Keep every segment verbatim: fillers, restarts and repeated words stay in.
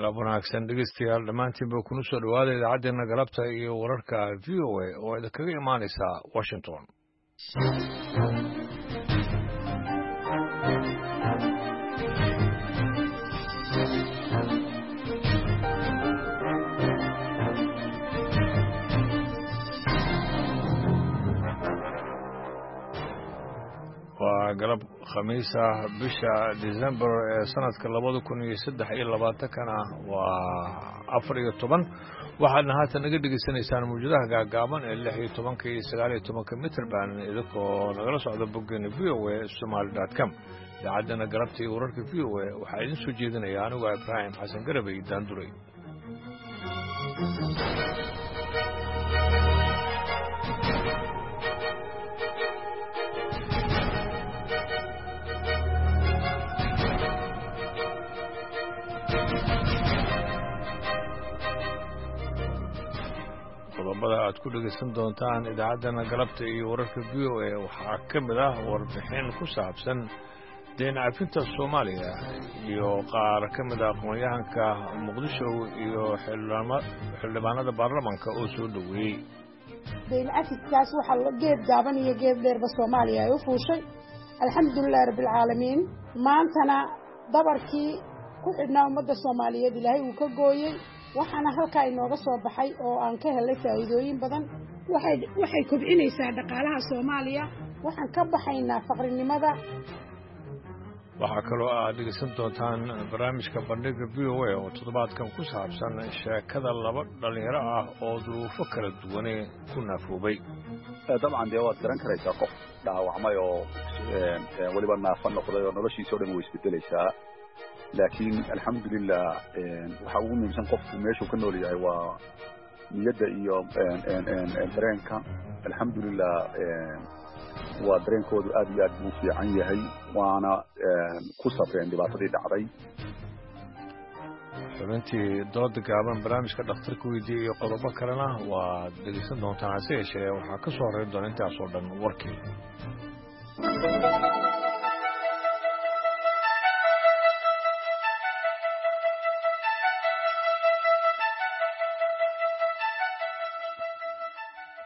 Galab wanaagsan dhegeystayaal dhammaantiinba, kuna soo dhowaada idaacaddeenna galabta iyo wararka V O A oo idinkaga imaanaysa Washington. Waa galab Khamiis ah, bisha December ee sanadka labada kun iyo saddex iyo labaatankana waa afar iyo toban. Waxaadna haatan naga dhegeysanaysaan mawjadaha gaagaaban ee lix iyo tobanka iyo sagaal iyo tobanka mitrband, idinkoo nagala socda boggeena V O A Somaly dot com. Idaacaddana galabta iyo wararka V O A waxaa idin soo jeedinaya anigu Ibraahim Xasan Garabey Daanduray. Qodobada aad ku dhegaysan doontaan idaacaddana galabta iyo wararka V O A waxaa ka mid ah warbixin ku saabsan deen cafinta Soomaaliya iyo qaar ka mid ah aqoon-yahanka Muqdisho iyo xildhibaanada baarlamanka oo soo dhoweeyey. Deyn cafiskaas waxaa geed gaaban iyo geed dheerba Soomaaliya ay u fuushay. Alxamdulilahi rabbilcaalamiin, maantana dabarkii ku xidhnaa ummadda Soomaaliyeed Ilaahay uu ka gooyey. Waxaana halkaa inooga soo baxay oo aan ka helay faa'iidooyin badan. waxay waxay kobcinaysaa dhaqaalaha Soomaaliya, waxaan ka baxaynaa faqrinimada. Waxaa kaloo aad dhegeysan doontaan barnaamijka Bandhiga V O A oo toddobaadkan ku saabsan sheekada laba dhallinyaro ah oo duruufo kala duwane ku naafoobay. Dabcan dee waad garan karaysaa, qof dhaawacmay oo weliba naafo noqday oo noloshiisa o dhan way isbedelaysaa, laakiin alxamdulilah, waxa ugu muhiimsan qofku meeshuu ka nool yahay waa niyadda iyo dareenka. Alxamdulilah, waa dareenkoodu aad iyo aad buu fiican yahay, waana ku safreen dhibaatadii dhacday. Xubintii dooda gaaban, barnaamijka dhakhtarka weydiiya iyo qodobo kalena waad dhegeysan doontaan, hase yeeshee waxaa ka soo horreyn doona intaasoo dhan warkii.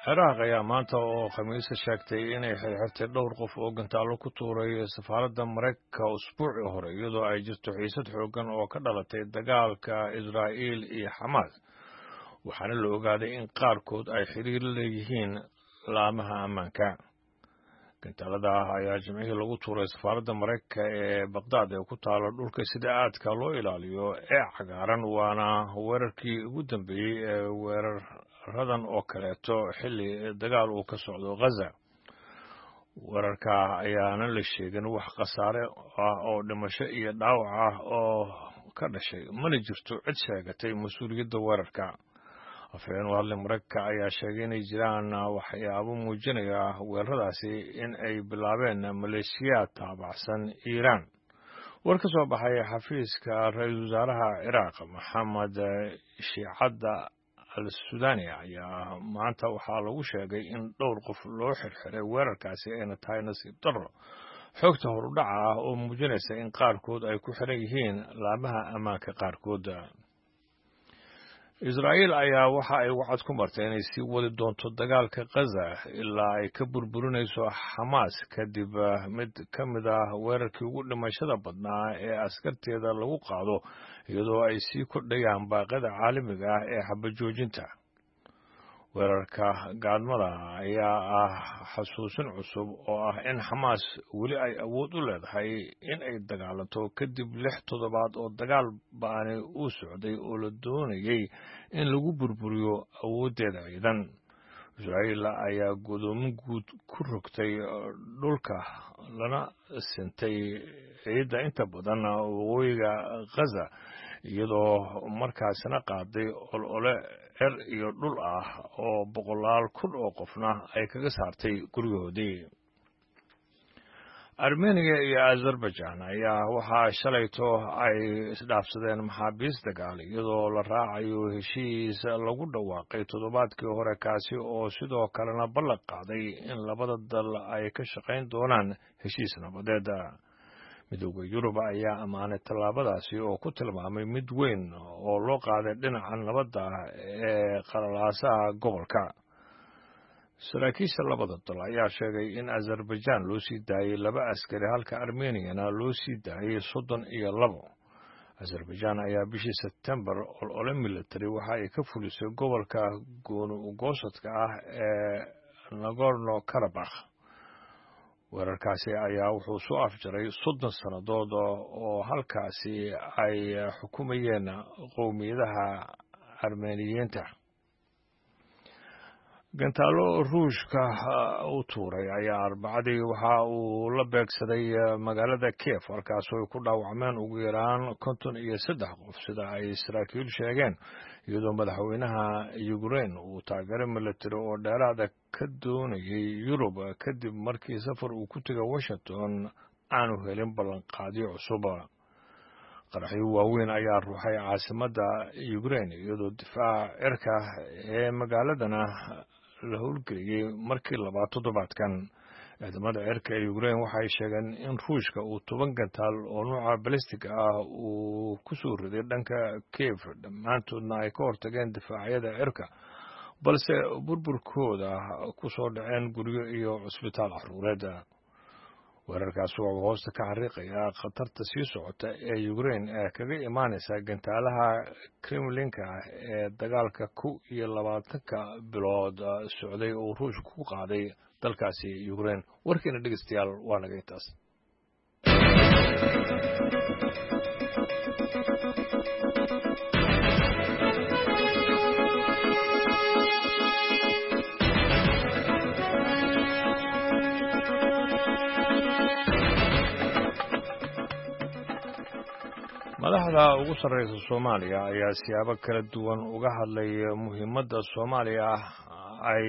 Ciraaq ayaa maanta oo Khamiisa sheegtay inay xirxirtay dhowr qof oo gantaallo ku tuuray safaaradda Maraykanka usbuucii hore, iyadoo ay jirto xiisad xooggan oo ka dhalatay dagaalka Israa'iil iyo Xamaas. Waxaana la ogaaday in qaarkood ay xiriir leeyihiin laamaha ammaanka. Gantaalada ah ayaa Jimcihii lagu tuuray safaaradda Maraykanka ee Baqdaad ee ku taalo dhulka sida aadka loo ilaaliyo ee cagaaran, waana weerarkii ugu dambeeyey ee weeraradan oo kaleeto xilli dagaal uu ka socdo Ghaza. Weerarka ayaana la sheegin wax khasaare ah oo dhimasho iyo dhaawac ah oo ka dhashay, mana jirto cid sheegatay mas-uuliyadda weerarka. Afhayeen u hadlay Maraykanka ayaa sheegay inay jiraan waxyaabo muujinaya weeraradaasi in ay bilaabeen maleeshiyaad taabacsan Iiraan. War ka soo baxay xafiiska ra-iisul wasaaraha Ciraaq Maxamed Shiicadda al Sudaani ayaa maanta waxaa lagu sheegay in dhowr qof loo xirxiray weerarkaasi, ayna tahay nasiib darro xogta horudhaca ah oo muujinaysa in qaarkood ay ku xiran yihiin laamaha ammaanka qaarkood. Israa'iil ayaa waxa ay wacad ku martay inay sii wadi doonto dagaalka Khaza ilaa ay ka burburinayso Xamaas, kadib mid ka mid ah weerarkii ugu dhimashada badnaa ee askarteeda lagu qaado, iyadoo ay sii kordhayaan baaqyada caalamiga ah ee xabajoojinta. Weerarka gaadmada ayaa ah xasuusin cusub oo ah in Xamaas weli ay awood u leedahay in ay dagaalanto, kadib lix toddobaad oo dagaal ba'ani uu socday oo la doonayay in lagu burburiyo awooddeeda ciidan. Israa'iil ayaa godoomin guud ku rogtay dhulka lana sintay ciidda inta badan waqooyiga Khaza, iyadoo markaasina qaaday olole cer iyo dhul ah oo boqolaal kun oo qofna ay kaga saartay guryahoodii. Armeniya iyo Azerbaijan ayaa waxaa shalayto ay isdhaafsadeen maxaabiis dagaal, iyadoo la raacayo heshiis lagu dhawaaqay toddobaadkii hore, kaasi oo sidoo kalena ballan qaaday in labada dal ay ka shaqayn doonaan heshiis nabadeed. Midowda Yurub ayaa ammaanay tallaabadaasi oo ku tilmaamay mid weyn oo loo qaaday dhinaca nabadda ee qalalaasaha gobolka. Saraakiisha labada dal ayaa sheegay in Azerbaijan loo sii daayay laba askari halka Armeniyana loo sii daayay soddon iyo labo. Azerbaijan ayaa bishii Sebtembar olole military waxa ay ka fulisay gobolka gooni-ugoosadka ah ee Nagorno Karabakh. Weerarkaasi ayaa wuxuu soo afjaray soddon sannadood oo halkaasi ay xukumayeen qowmiyadaha Armeniyiinta. Gantaalo Ruushka u tuuray ayaa Arbacadii waxa uu la beegsaday magaalada Kiev, halkaasoo ay ku dhaawacmeen ugu yaraan konton iyo saddex qof, sida ay saraakiil sheegeen, iyadoo madaxweynaha Ukraine uu taageero military oo dheeraada ka doonayay Yurub kadib markii safar uu ku tegay Washington aanu helin ballanqaadyo cusub. Qaraxyo waaweyn ayaa ruuxay caasimadda Ukraine, iyadoo difaaca cirka ee magaaladana la howlgeliyey markii labaad toddobaadkan. Ciidamada cirka ee Ukraine waxay sheegeen in Ruushka uu toban gantaal oo nuuca balistig ah uu ku soo riday dhanka Kiev, dhammaantoodna ay ka hortageen difaacyada cirka, balse burburkooda ku soo dhaceen guryo iyo cusbitaal caruureed. Weerarkaasi wuxuu hoosta ka xariiqayaa khatarta sii socota ee Ukraine ee kaga imaanaysa gantaalaha Kremlinka ee dagaalka kow iyo labaatanka bilood socday oo Ruushka ku qaaday dalkaasi Ukraine. Warkiina dhegeystayaal waa naga intaas. Madaxda ugu sarreysa Soomaaliya ayaa siyaabo kala duwan uga hadlay muhiimadda Soomaaliya ay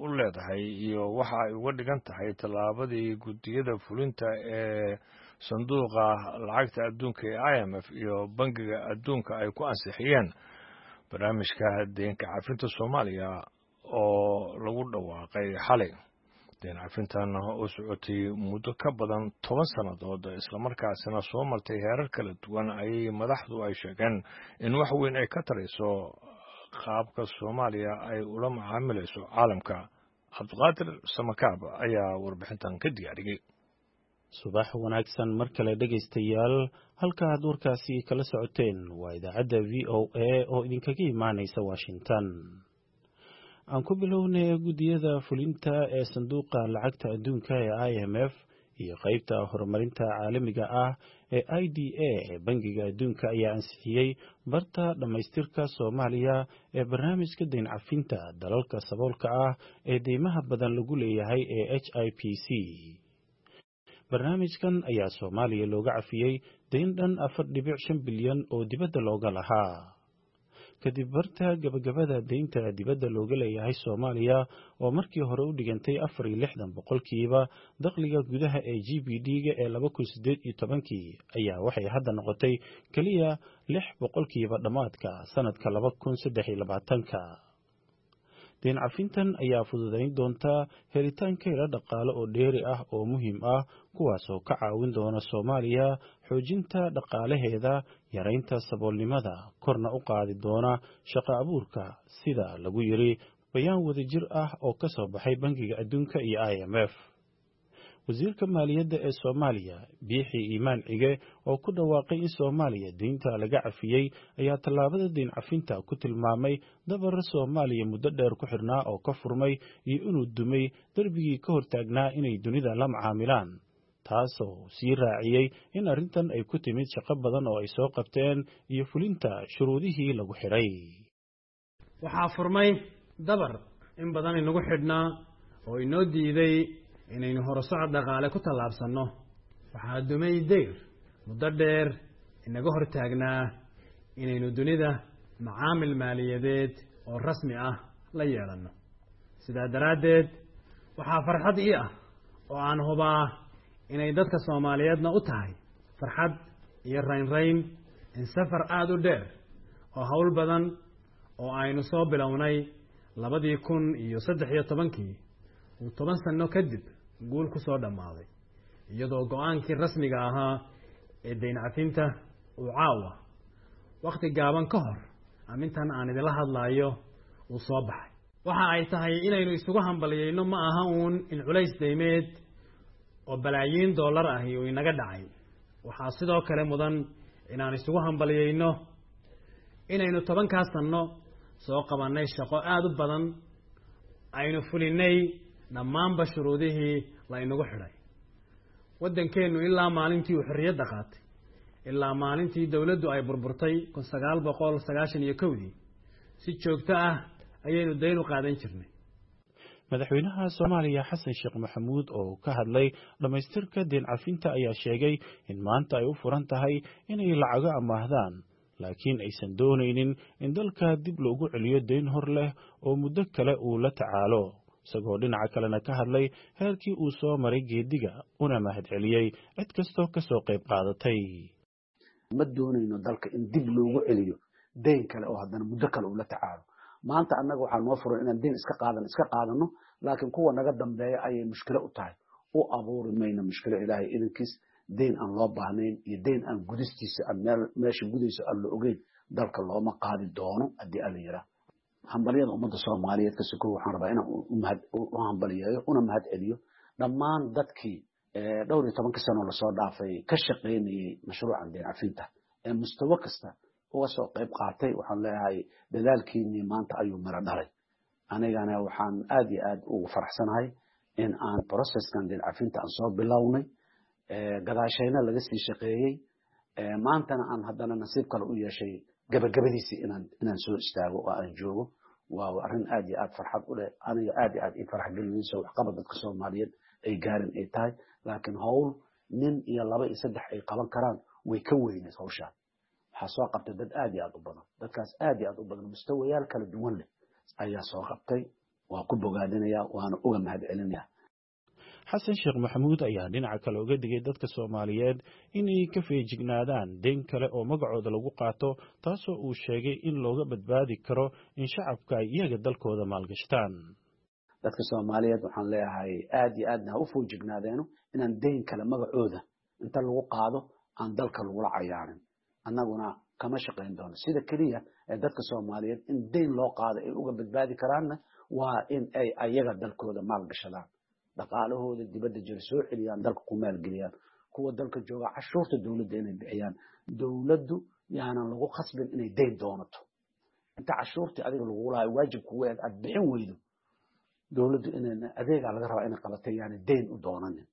u leedahay iyo waxa ay uga dhigan tahay tallaabadii guddiyada fulinta ee sanduuqa lacagta adduunka ee I M F iyo Bangiga Adduunka ay ku ansixiyeen barnaamijka deynka cafinta Soomaaliya oo lagu dhawaaqay xalay. Deen cafintan oo socotay muddo ka badan toban sannadood islamarkaasina soo martay heerar kala duwan ayay madaxdu ay sheegeen in wax weyn ay ka tarayso qaabka Soomaaliya ay ula macaamilayso caalamka. Cabdiqaadir Samakaab ayaa warbixintan ka diyaariyey. Subax wanaagsan mar kale dhegaystayaal, halka aad warkaasi kala socoteen waa idaacadda V O A oo idinkaga imaanaysa Washington. Aan ku bilownay guddiyada fulinta ee sanduuqa lacagta adduunka ee I M F iyo qaybta horumarinta caalamiga ah ee I D A ee Bangiga Adduunka ayaa ansixiyey barta dhammaystirka Soomaaliya ee barnaamijka deyn cafinta dalalka saboolka ah ee deymaha badan lagu leeyahay ee H I P C. Barnaamijkan ayaa Soomaaliya looga cafiyey deyn dhan afar dhibic shan bilyan oo dibadda looga lahaa. Kadib barta gabagabada deynta dibadda looga leeyahay Soomaaliya oo markii hore u dhigantay afar iyo lixdan boqolkiiba dakhliga gudaha ee G B D-ga ee laba kun sideed iyo tobankii ayaa waxay hadda noqotay keliya lix boqolkiiba dhammaadka sanadka laba kun saddex iyo labaatanka. Deyn cafintan ayaa fududayn doonta helitaanka ilo dhaqaale oo dheeri ah oo muhiim ah, kuwaasoo ka caawin doona Soomaaliya xoojinta dhaqaalaheeda, yaraynta saboolnimada, korna u qaadi doona shaqo abuurka, sida lagu yiri bayaan wadajir ah oo ka soo baxay Bangiga Adduunka iyo I M F. Wasiirka maaliyadda ee Soomaaliya Biixi Iimaan Cige oo ku dhawaaqay in Soomaaliya deynta laga cafiyey ayaa tallaabada deyn cafinta ku tilmaamay dabar Soomaaliya muddo dheer ku xirnaa oo ka furmay iyo inuu dumay darbigii ka hortaagnaa inay dunida la macaamilaan, taasoo sii raaciyey in arrintan ay ku timid shaqo badan oo ay soo qabteen iyo fulinta shuruudihii lagu xidhay. Waxaa furmay dabar in badan inagu xidhnaa oo inoo diiday inaynu horusocod dhaqaale ku tallaabsanno. Waxaa dumay dayr muddo dheer inaga hortaagnaa inaynu dunida macaamil maaliyadeed oo rasmi ah la yeelanno. Sidaa daraaddeed waxaa farxad ii ah oo aan hubaa inay dadka Soomaaliyeedna u tahay farxad iyo raynrayn in safar aada u dheer oo hawl badan oo aynu soo bilownay labadii kun iyo saddex iyo tobankii uu toban sano kadib guul ku soo dhammaaday, iyadoo go-aankii rasmiga ahaa ee dayn cafinta uu caawa wakhti gaaban ka hor amintan aan idinla hadlaayo uu soo baxay. Waxa ay tahay inaynu isugu hambaliyeyno ma aha uun in culays daymeed oo balaayiin dollar ahi uu inaga dhacay. Waxaa sidoo kale mudan inaan isugu hambaliyeyno inaynu tobankaa sanno soo qabannay shaqo aada u badan, aynu fulinay dhammaanba shuruudihii la inagu xidhay. Waddankeennu ilaa maalintii uu xorriyadda qaatay ilaa maalintii dowladdu ay burburtay kun sagaal boqol sagaashan iyo kowdii si joogto ah ayaynu dayn u qaadan jirnay. Madaxweynaha Soomaaliya Xasan Sheekh Maxamuud oo ka hadlay dhammaystirka deyn cafinta ayaa sheegay in maanta ay u furan tahay inay lacago amaahdaan, laakiin aysan doonaynin in dalka dib loogu celiyo deyn hor leh oo muddo kale uu la tacaalo, isagoo dhinaca kalena ka hadlay heerkii uu soo maray geediga una mahadceliyey cid kastoo ka soo qayb qaadatay. Ma doonayno dalka in dib loogu celiyo deyn kale oo haddana muddo kale uu la tacaalo. Maanta annaga waxaa noo furan inaan deyn iska qaadan iska qaadano, laakiin kuwa naga dambeeya ayay mushkilo u tahay. U abuuri mayno mushkilo ilaahay idankiis, deyn aan loo baahnayn iyo deyn aan gudistiisa aan meel meesha gudayso aan la ogeyn dalka looma qaadi doono haddii alla yiraa. Hambalyada ummadda Soomaaliyeed ka sokow waxaan rabaa inaan u hambaliyeeyo una mahad celiyo dhammaan dadkii dhowr iyo tobanka sano lasoo dhaafay ka shaqaynayay mashruucan deyn cafinta ee mustawo kasta uga soo qayb qaatay. Waxaan leeyahay dadaalkiinii maanta ayuu miro dhalay. Anigana waxaan aad iyo aad ugu faraxsanahay in aan processkan deyn cafinta aan soo bilownay, gadaashayna laga sii shaqeeyey, maantana aan haddana nasiib kale u yeeshay gabagabadiisii inaan inaan soo istaago oo aan joogo. Waa arrin aad iyo aad farxad u leh, aniga aad iyo aad ii farax gelinayso waxqabad dadka Soomaaliyeed ay gaarin ay tahay, laakiin howl nin iyo laba iyo saddex ay qaban karaan way ka weyneed hawshaan. Waxaa soo qabtay dad aad iyo aad u badan, dadkaas aad iyo aad u badan mustawayaal kala duwan leh ayaa soo qabtay. Waa ku bogaadinayaa waana uga mahad celinayaa. Xasan Sheekh Maxamuud ayaa dhinaca kale uga digay dadka Soomaaliyeed inay ka feejignaadaan deyn kale oo magacooda lagu qaato, taasoo uu sheegay in looga badbaadi karo in shacabka ay iyaga dalkooda maalgashtaan. Dadka Soomaaliyeed waxaan leeyahay aad iyo aadna ha u feejignaadeeno inaan deyn kale magacooda inta lagu qaado aan dalka lagula cayaarin. Annaguna kama shaqayn doono. Sida keliya ee dadka Soomaaliyeed in deyn loo qaado ay uga badbaadi karaanna waa in ay ayaga dalkooda maalgashadaan, dhaqaalahooda dibadda jira soo celiyaan, dalka ku maalgeliyaan, kuwa dalka jooga cashuurta dowladda inay bixiyaan. Dowladdu yaanan lagu khasbin inay deyn doonato. Inta cashuurtii adiga lagugu lahayo waajib kugu eed aad bixin weydo, dowladdu inay adeegaa laga rabaa inay qabatay yaani deyn u doonanin.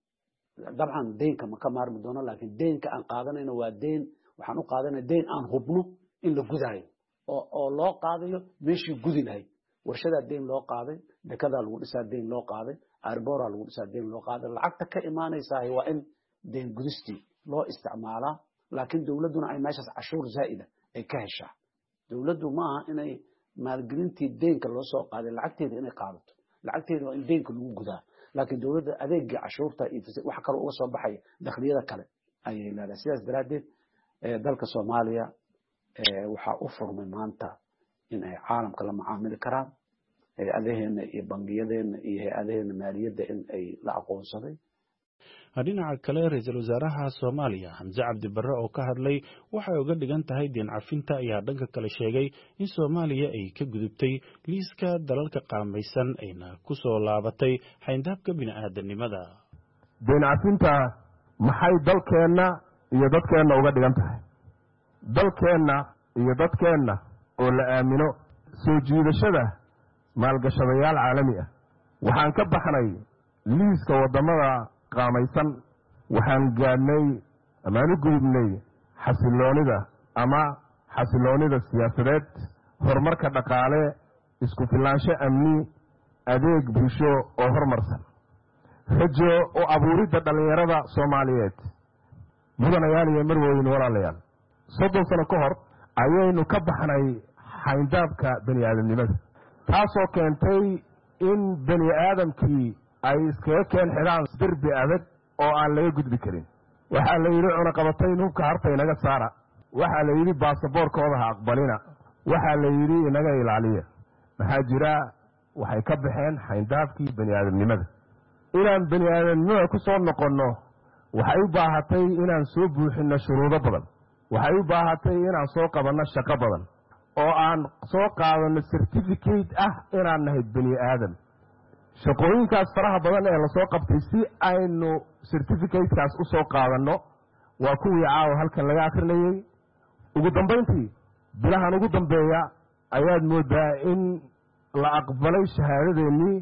Dabcan deynka ma ka maarmi doono, laakiin deynka aan qaadanayno waa deyn, waxaan u qaadanay deyn aan hubno in la gudaayo oo oo loo qaadayo meeshii gudi lahayd. Warshadaa deyn loo qaaday, dekadaa lagu dhisaa deyn loo qaaday, airboraa lagu dhisaa deyn loo qaaday. Lacagta ka imaanaysaa waa in deyn gudistii loo isticmaalaa, laakiin dowladduna ay meeshaas cashuur zaa'ida ay ka heshaa. Dowladdu ma aha inay maalgelintii deynka loo soo qaaday lacagteeda inay qaadato, lacagteeda waa in deynka lagu gudaa, laakiin dowladda adeegii cashuurta iyo wax kale uga soo baxaya dakhliyada kale ayay leedahay. Sidaas daraaddeed dalka Soomaaliya waxaa u furmay maanta in ay caalamka la macaamili karaan, hay-adaheena iyo bangiyadeena iyo hay-adaheena maaliyadda in ay la aqoonsaday. Dhinaca kale, ra-iisul wasaaraha Soomaaliya Xamse Cabdi Barre oo ka hadlay waxay uga dhigan tahay deyn cafinta ayaa dhanka kale sheegay in Soomaaliya ay ka gudubtay liiska dalalka qaamaysan ayna ku soo laabatay xayndaabka bini'aadanimada. Deyn cafinta maxay dalkeenna iyo dadkeenna uga dhigan tahay? Dalkeenna iyo dadkeenna oo la aamino soo jiidashada maalgashadayaal caalami ah. Waxaan ka baxnay liiska waddamada qaamaysan, waxaan gaadhnay amaan u gudubnay xasiloonida ama xasiloonida siyaasadeed, horumarka dhaqaale, isku filnaansho amni, adeeg bulsho oo horumarsan, rajo oo abuuridda dhallinyarada Soomaaliyeed. Mudanayaal iyo marwooyin, walaalayaal, soddon sano ka hor ayaynu ka baxnay xayndaabka bani aadamnimada, taasoo keentay in bani aadamkii ay iskaga keen xidhaan derbi adag oo aan laga gudbi karin. Waxaa la yidhi cunaqabatayn hubka harta inaga saara, waxaa la yidhi baasaboorkooda ha aqbalina, waxaa la yidhi inaga ilaaliya. Maxaa jira? Waxay ka baxeen xayndaabkii bani aadamnimada. Inaan bani aadamnimada ku soo noqonno Waxay u baahatay inaan soo buuxinno shuruudo badan. Waxay u baahatay inaan soo qabanno shaqo badan oo aan soo qaadanno certificate ah inaan nahay bani aadam. Shaqooyinkaas faraha badan ee lasoo qabtay si aynu certificatekaas u soo qaadanno waa kuwii caawa halkan laga akrinayey. Ugu dambayntii, bilahan ugu dambeeya ayaad moodaa in la aqbalay shahaadadeennii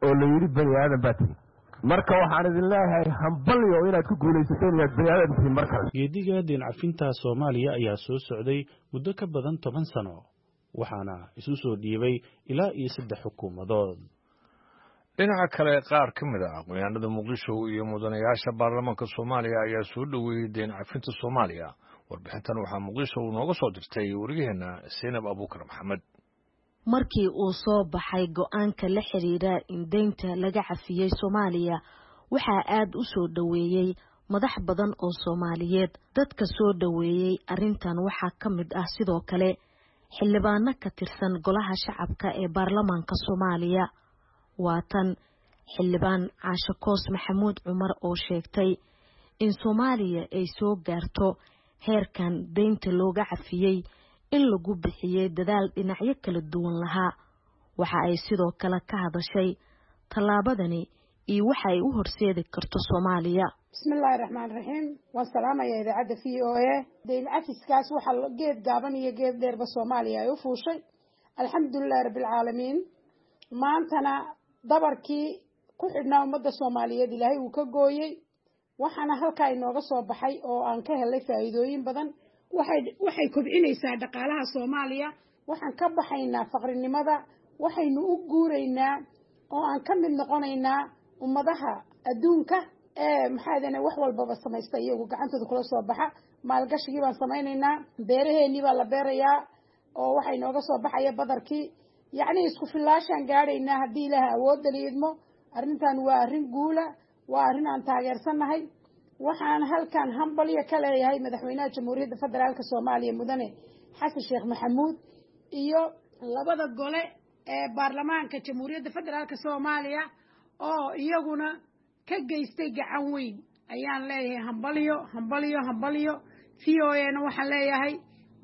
oo la yidhi bani aadam baa tihi. Marka waxaan idin leeyahay hambalyo inaad ku guulaysateen inaad bani aadam tihiin mar kale. Geediga deyn cafinta Soomaaliya ayaa soo socday muddo ka badan toban sano, waxaana isu soo dhiibay ilaa iyo saddex xukuumadood. Dhinaca kale, qaar ka mid ah aqoonyahanada Muqdisho iyo mudanayaasha baarlamaanka Soomaaliya ayaa soo dhoweeyey deyn cafinta Soomaaliya. Warbixintan waxaa Muqdisho uu nooga soo dirtay wariyaheenna Seynab Abuukar Maxamed. Markii uu soo baxay go-aanka la xiriira in deynta laga cafiyey Soomaaliya, waxaa aad u soo dhoweeyey madax badan oo Soomaaliyeed. Dadka soo dhoweeyey arrintan waxaa ka mid ah sidoo kale xildhibaano ka tirsan Golaha Shacabka ee baarlamaanka Soomaaliya. Waa tan Xildhibaan Caashe Koos Maxamuud Cumar oo sheegtay in Soomaaliya ay soo gaarto heerkan deynta looga cafiyey in lagu bixiyey dadaal dhinacyo kala duwan lahaa. Waxa ay sidoo kale ka hadashay tallaabadani iyo waxa ay u horseedi karto Soomaaliya. Bismillaahi raxmaani raxiim. Waan salaamayaa idaacadda V O A. Deyn cafiskaas waxaa geed gaaban iyo geed dheerba Soomaaliya ay u fuushay. Alxamdulilahi rabbilcaalamiin. Maantana dabarkii ku xidhnaa ummadda Soomaaliyeed Ilaahay uu ka gooyey. Waxaana halkaa inooga soo baxay oo aan ka helay faa'iidooyin badan. Waxay waxay kobcinaysaa dhaqaalaha Soomaaliya. Waxaan ka baxaynaa faqrinimada, waxaynu u guuraynaa oo aan ka mid noqonaynaa ummadaha adduunka ee maxaa wax walbaba samaysta iyagu gacantooda kula soo baxa. Maalgashigii baan samaynaynaa, beeraheenii baa la beerayaa oo waxaa inooga soo baxaya badarkii. Yacni isku filaashaan gaadhaynaa haddii Ilaaha awoodda liidmo. Arrintan waa arrin guula, waa arrin aan taageersannahay. Waxaan halkan hambalyo ka leeyahay madaxweynaha Jamhuuriyadda Federaalka Soomaaliya, Mudane Xasan Sheekh Maxamuud, iyo labada gole ee baarlamaanka Jamhuuriyadda Federaalka Soomaaliya oo iyaguna ka geystay gacan weyn. Ayaan leeyahay hambalyo, hambalyo, hambalyo. V O A na waxaan leeyahay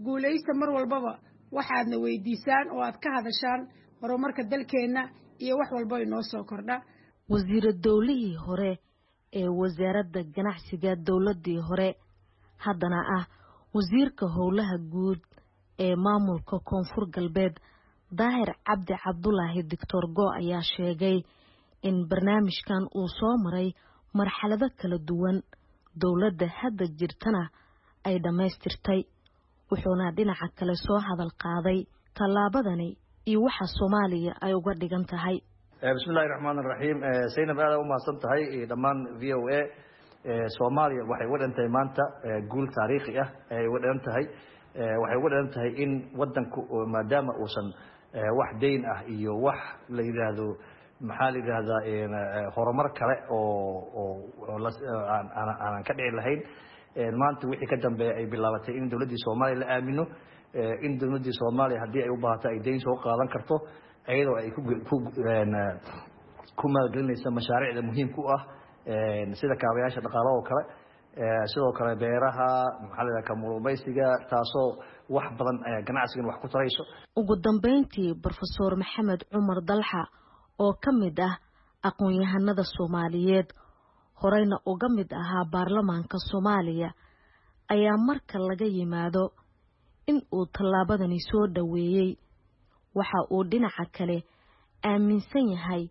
guulaysta mar walbaba. Waxaadna weydiisaan oo aad ka hadashaan horumarka dalkeenna iyo wax walba inoo soo kordha. Wasiira dowlihii hore ee wasaaradda ganacsiga dowladii hore, haddana ah wasiirka howlaha guud ee maamulka Koonfur Galbeed, Daahir Cabdi Cabdulaahi Doctor Go, ayaa sheegay in barnaamijkan uu soo maray marxalado kala duwan, dowladda hadda jirtana ay dhammaystirtay. Wuxuuna dhinaca kale soo hadal qaaday tallaabadani iyo waxa Soomaaliya ay uga dhigan tahay. Bismillahi raxmaan raxiim. Zaynab, aada u mahadsan tahay dhammaan V O A. Soomaaliya waxay uga dhigan tahay maanta guul taariikhi ah ayay uga dhigan tahay. Waxay uga dhigan tahay in wadanku maadaama uusan wax deyn ah iyo wax la yidhaahdo, maxaa la yidhaahdaa, horumar kale oo oo aanan ka dhici lahayn, maanta wixii ka dambeeya ay bilaabatay in dowladdii Soomaaliya la aamino, in dowladdii Soomaaliya haddii ay u baahato ay deyn soo qaadan karto, iyadoo ay ku ku maalgelinaysa mashaariicda muhiimka u ah sida kaabayaasha dhaqaalaha oo kale, sidoo kale beeraha, maxaa la yidhaha, kalluumaysiga, taasoo wax badan ganacsigan wax ku tarayso. Ugu dambeyntii, Brofesor Maxamed Cumar Dalxa oo ka mid ah aqoon-yahanada Soomaaliyeed, horeyna uga mid ahaa baarlamaanka Soomaaliya, ayaa marka laga yimaado in uu tallaabadani soo dhoweeyey, waxa uu dhinaca kale aaminsan yahay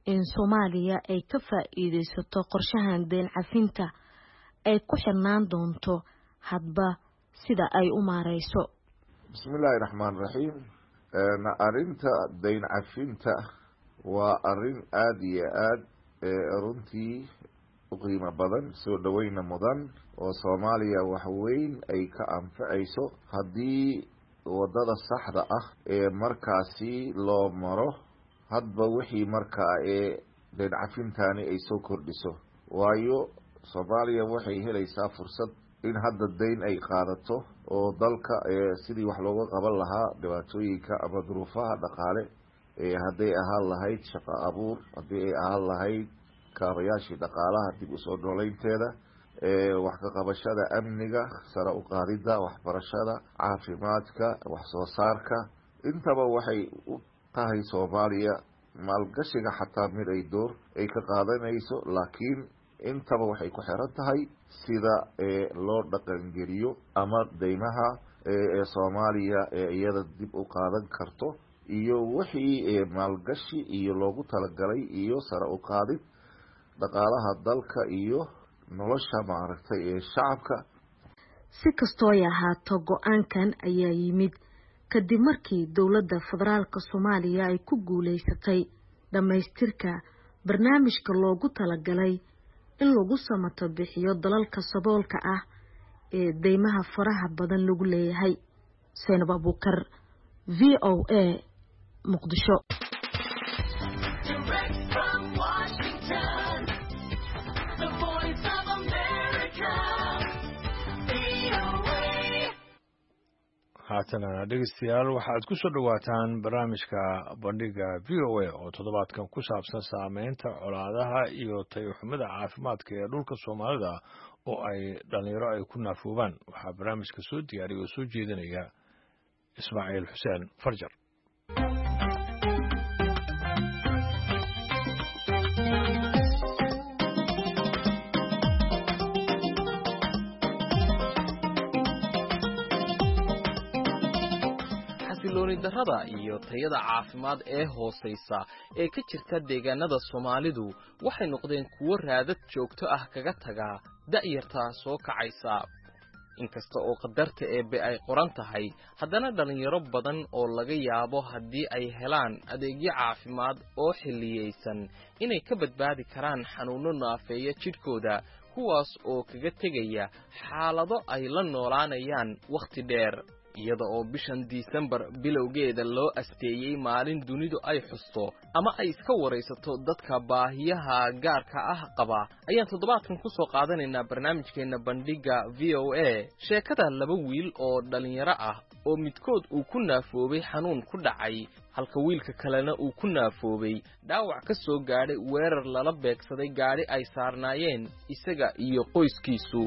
in Soomaaliya ay ka faa'iidaysato qorshahan deyn cafinta ay ku xirnaan doonto hadba sida ay u maareyso. Bismillaahi raxmaan raxiim. Arrinta dayn cafinta waa arrin aada iyo aad runtii u qiimo badan, soo dhoweyna mudan, oo Soomaaliya wax weyn ay ka anfacayso haddii wadada saxda ah ee markaasi loo maro hadba wixii markaa ee dayn cafintani ay soo kordhiso. Waayo, Soomaaliya waxay helaysaa fursad in hadda dayn ay qaadato oo dalka sidii wax looga qaban lahaa dhibaatooyinka ama duruufaha dhaqaale, hadday ahaan lahayd shaqo abuur, haddii ay ahaan lahayd kaabayaashii dhaqaalaha dib usoo nooleynteeda, wax ka qabashada amniga, sare u qaadida waxbarashada, caafimaadka, wax soo saarka, intaba waxay u tahay Soomaaliya maalgashiga xataa mid ay door ay ka qaadanayso. Laakiin intaba waxay ku xiran tahay sida loo dhaqangeliyo ama deymaha ee Soomaaliya ee iyada dib u qaadan karto iyo wixii maalgashi iyo loogu talagalay iyo sare u qaadid dhaqaalaha dalka iyo nolosha maaragtay ee shacabka. Si kastoo ay ahaato, go-aankan ayaa yimid kadib markii dowladda federaalka Soomaaliya ay ku guuleysatay dhammaystirka barnaamijka loogu talagalay in lagu samato bixiyo dalalka saboolka ah ee deymaha faraha badan lagu leeyahay. Zaynab Abuukar, V O A, Muqdisho. Haatana dhegeystayaal, waxaad ku soo dhowaataan barnaamijka Bandhiga V O A oo toddobaadkan ku saabsan saameynta colaadaha iyo tayoxumida caafimaadka ee dhulka Soomaalida oo ay dhalinyaro ay ku naafoobaan. Waxaa barnaamijka soo diyaariya oo soo jeedinaya Ismaaciil Xuseen Farjar. Xasilooni darrada iyo tayada caafimaad ee hoosaysa ee ka jirta deegaanada Soomaalidu waxay noqdeen kuwo raadad joogto ah kaga taga da'yarta soo kacaysa. Inkasta oo qadarta eebbe ay qoran tahay, haddana dhallinyaro badan oo laga yaabo haddii ay helaan adeegyo caafimaad oo xilliyeysan inay ka badbaadi karaan xanuunno naafeeya jidhkooda, kuwaas oo kaga tegaya xaalado ay la noolaanayaan wakhti dheer. Iyada oo bishan Disembar bilowgeeda loo asteeyey maalin dunidu ay xusto ama ay iska waraysato dadka baahiyaha gaarka ah qaba, ayaan toddobaadkan ku soo qaadanaynaa barnaamijkeenna Bandhigga V O A sheekada laba wiil oo dhallinyaro ah oo midkood uu ku naafoobay xanuun ku dhacay, halka wiilka kalena uu ku naafoobay dhaawac ka soo gaadhay weerar lala beegsaday gaadhi ay saarnaayeen isaga iyo qoyskiisu.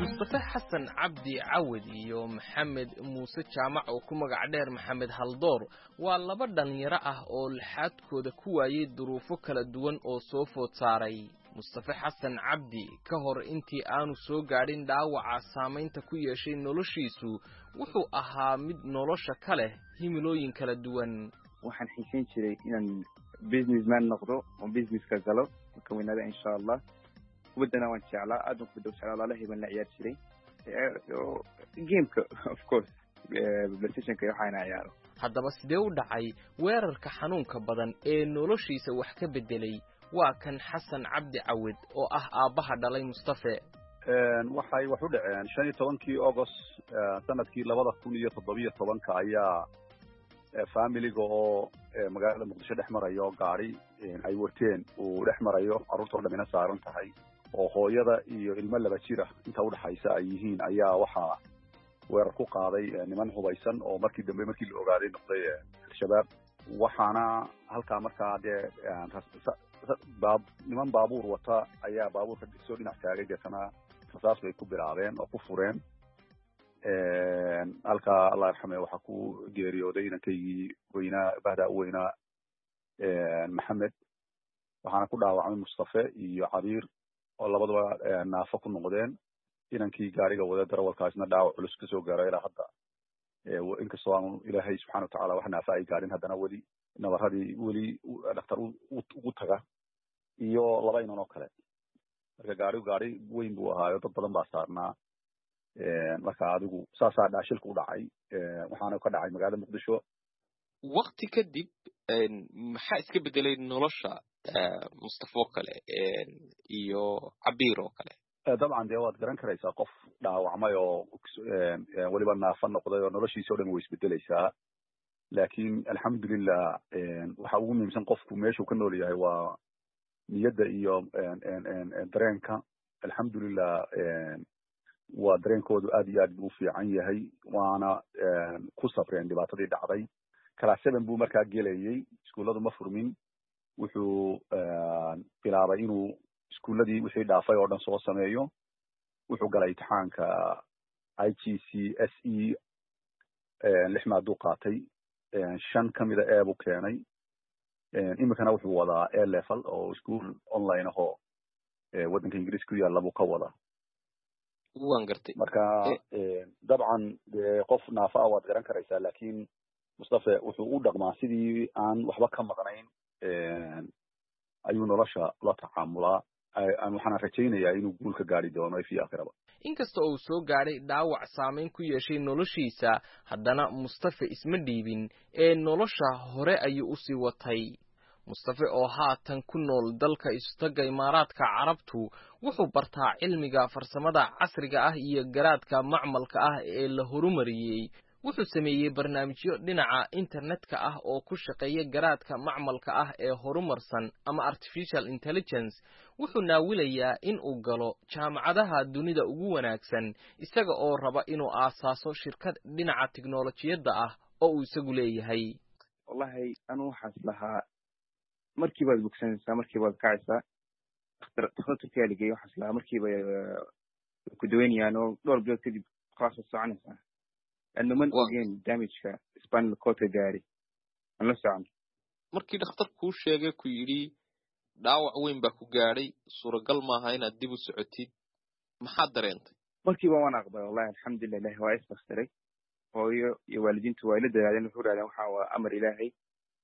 Mustafe Xasan Cabdi Cawad iyo Maxamed Muuse Jaamac oo ku magac dheer Maxamed Haldoor waa laba dhallinyaro ah oo laxaadkooda ku waayey duruufo kala duwan oo soo food saaray. Mustafe Xasan Cabdi ka hor intii aanu soo gaadhin dhaawaca saamaynta ku yeeshay noloshiisu, wuxuu ahaa mid nolosha ka leh himilooyin kala duwan. Waxaan xiisayn jiray inaan businessman noqdo oo businesska galo marka weynaada, insha Allah. Kubaddana waan jeclaa, aad baan kubadda u jeclaa, walaalahay baan la ciyaari jiray gameka, of course PlayStationka iyo waxaana ciyaaro. Haddaba sidee u dhacay weerarka xanuunka badan ee noloshiisa wax ka beddelay? Waa kan Xasan Cabdi Cawid oo ah aabbaha dhalay Mustafe. Waxay wax u dhaceen shan iyo tobankii August sanadkii labada kun iyo toddobiyo tobanka ayaa familiga oo magaalada Muqdisho dhex marayo gaari ay wateen uu dhex marayo, carruurtoo dhamina saaran tahay oo hooyada iyo ilmo laba jir ah inta udhexaysa ay yihiin, ayaa waxaa weerar ku qaaday niman hubaysan oo markii dambe markii la ogaaday noqday Al-Shabaab. Waxaana halkaa markaa dee baab niman baabuur wata ayaa baabuurka soo dhinac taagay, deetana rasaas bay ku bilaabeen oo ku fureen. Halkaa Allah yarxame waxaa ku geeriyooday inankaygii weynaa, bahdaa u weynaa, Maxamed, waxaana ku dhaawacmay Mustafe iyo Cabiir oo labadaba naafo ku noqdeen. Inankii gaariga wada darawalkaasna dhaawac culus kasoo gaaro ilaa hadda, inkastoo aanu Ilaahay subxana watacaala wax naafa ay gaarin, haddana weli nabaradii weli dhaktar ugu taga, iyo laba inan oo kale. Marka gaarigu gaari weyn buu ahaayo, dad badan baa saarnaa. Marka adigu saasaa dhaashilka u dhacay, waxaana ka dhacay magaalada Muqdisho. Wakti kadib maxaa iska bedelay nolosha Mustafa oo kale iyo Cabiir oo kale? Dabcan dee waad garan karaysaa, qof dhaawacmay oo weliba naafa noqday oo noloshiisa o dhan way isbedeleysaa. Laakiin alxamdulilah, waxa ugu muhiimsan qofku meeshuu ka nool yahay waa niyadda iyo dareenka. Alxamdulilah, waa dareenkoodu aad iyo aad buu u fiican yahay, waana ku sabreen dhibaatadii dhacday. Class seven buu markaa gelayay, iskuulladu ma furmin. Wuxuu bilaabay inuu iskuulladii wixii dhaafay oo dhan soo sameeyo. Wuxuu galay imtixaanka I G C S E, lix maaduu qaatay, shan kamida A buu keenay. Iminkana wuxuu wadaa A level oo school online ahoo waddanka Ingiriiska ku yaalla buu ka wadaa. Waan gartay. Marka dabcan dee qof naafa ah waad garan karaysaa, laakiin Mustafe wuxuu u dhaqmaa sidii aan waxba ka maqnayn ayuu nolosha la tacaamulaa. Waxaana rajaynayaa inuu guul ka gaari doono fi aakhiraba. Inkasta uu soo gaadhay dhaawac saameyn ku yeeshay noloshiisa, haddana Mustafe isma dhiibin ee nolosha hore ayuu usii watay. Mustafe oo haatan ku nool dalka Isutagga Imaaraadka Carabtu wuxuu bartaa cilmiga farsamada casriga ah iyo garaadka macmalka ah ee la horumariyey. Wuxuu sameeyey barnaamijyo dhinaca internetka ah oo ku shaqeeya garaadka macmalka ah ee horumarsan ama artificial intelligence. Wuxuu naawilayaa in uu galo jaamacadaha dunida ugu wanaagsan, isaga oo raba inuu aasaaso shirkad dhinaca tiknolojiyadda ah oo uu isagu leeyahay. Wallahi anu waxaas lahaa markiibaad bogsanaysaa, markiibaad kacaysaa. Dhakhtar Turkiya la geeyey. Waxaas lahaa markiiba ku daweynayaan oo dhowr bilood kadib khalaas waad soconaysaa, laanno man ogeen damageka spinal cordka gaari aan la socon. Markii dhakhtar kuu sheegay, ku yidhi dhaawac weyn baa ku gaadhay, suuragal maaha inaad dib u socotid, maxaad dareentay? Markiiba waan aqbalay wallahi, alxamdulilah, Ilahi waa istakhtiray. Hooyo iyo waalidiintu waa ila dadaadeen. Wuxuu raadeen waxa waa amar Ilaahay,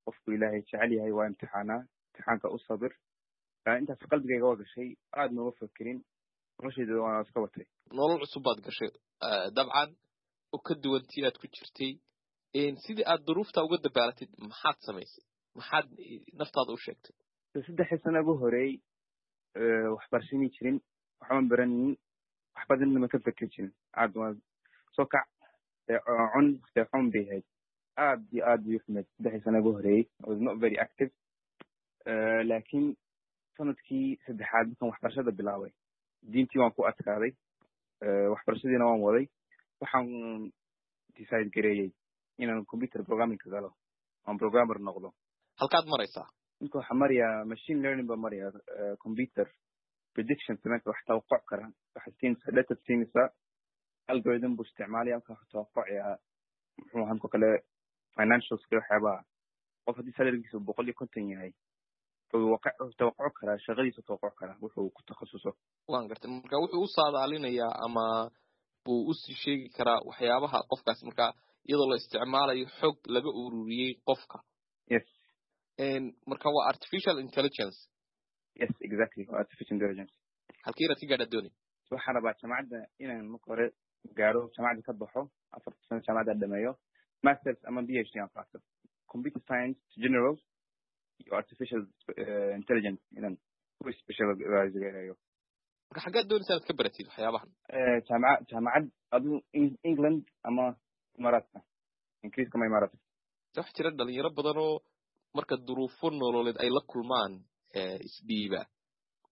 qofku Ilaahay jecel yahay waa imtixaanaa, imtixaanka u sabir. Intaas qalbigayga waa gashay, aad nooma fakerin, noloshayda waan iska watay. Nolol cusub baad gashay dabcan oo ka duwan tii aad ku jirtay. Sidii aad duruufta uga dabaalatid maxaad samaysay? Maxaad naftaada u sheegtay? Saddexdii sano ugu horeey waxbarasho jirin, waxban baranin, wax badanna ma ka feker jirin. Aad waan soo kac cun seexoon bay ahayd, aad iyo aad bay uxumeyd. Saddexdii sano ugu horeeyey I was not very active, laakiin sanadkii saddexaad markaan waxbarashada bilaabay, diintii waan ku adkaaday, waxbarashadiina waan waday. Waxaan decide gareeyey inaan computer programming galo, aan programmer noqdo. Halkaad maraysaa? Ninka waxaa marayaa machine learning baa maraya, computer prediction sameynka, wax tawaquc kara. Waxaad siinaysaa data, siinaysaa algorithm buu isticmaalaya, marka wuxuu tawaqucayaa muxuu ahaa marka kale financialska waxyaabaha. Qof haddii salarygiisu boqol iyo konton yahay, wuxuu tawaquc karaa shaqadiisu, tawaquc karaa wuxuu ku takhasuso. Waan gartay. Marka wuxuu u saadaalinayaa ama buu usii sheegi karaa waxyaabaha qofkaas, marka iyadoo la isticmaalayo xog laga ururiyey qofka. Yes. Marka waa artificial intelligence. Yes, exactly, waa artificial intelligence. Halkii inaad ka gaadhaa doonay? Waxaan rabaa jaamacadda inaan marka hore gaaro, jaamacadda ka baxo, afarta sano jaamacadda dhameeyo, masters ama P H D aan qaato, computer science general iyo artificial intelligence inaan ku specialize gareeyo. Marka xaggaad doonaysa inaad ka baratid waxyaabahan? Jaamaca jaamacad adu England ama Imaaraadka, Ingiriiska ama Imaaraadka. Waxaa jira dhalinyaro badan oo marka duruufo nololeed ay la kulmaan isdhiiba.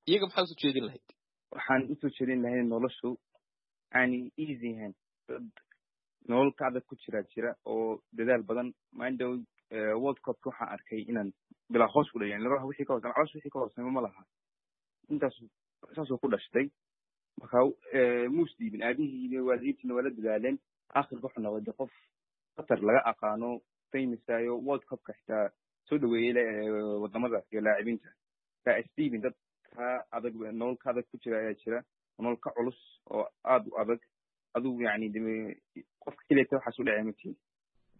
Iyaga maxaa usoo jeedin lahayd? Waxaan usoo jeedin lahayd noloshu aanay easy ahayn. Dad nolol ka adag ku jira jira oo dadaal badan. Maandhow World Cupka waxaan arkay inaan bilaa hoos ku dhayan laba wixii ka hoos ama caloosha wixii ka hooseyma ma laha. Intaas saasuu ku dhashtay, marka muus dhiibin. Aabihii iyo waalidiintiina waa la dadaaleen. Aakhirka wuxuu noqday qof qatar laga aqaano, famousayo, World Cupka xitaa soo dhaweeyey wadamada iyo laacibiinta. Ka isdhiibin, dad ka adag, nolol ka adag ku jira ayaa jira, nolol ka culus oo aada u adag. Adigu yani qofka keliyata waxaas u dhacay matiin.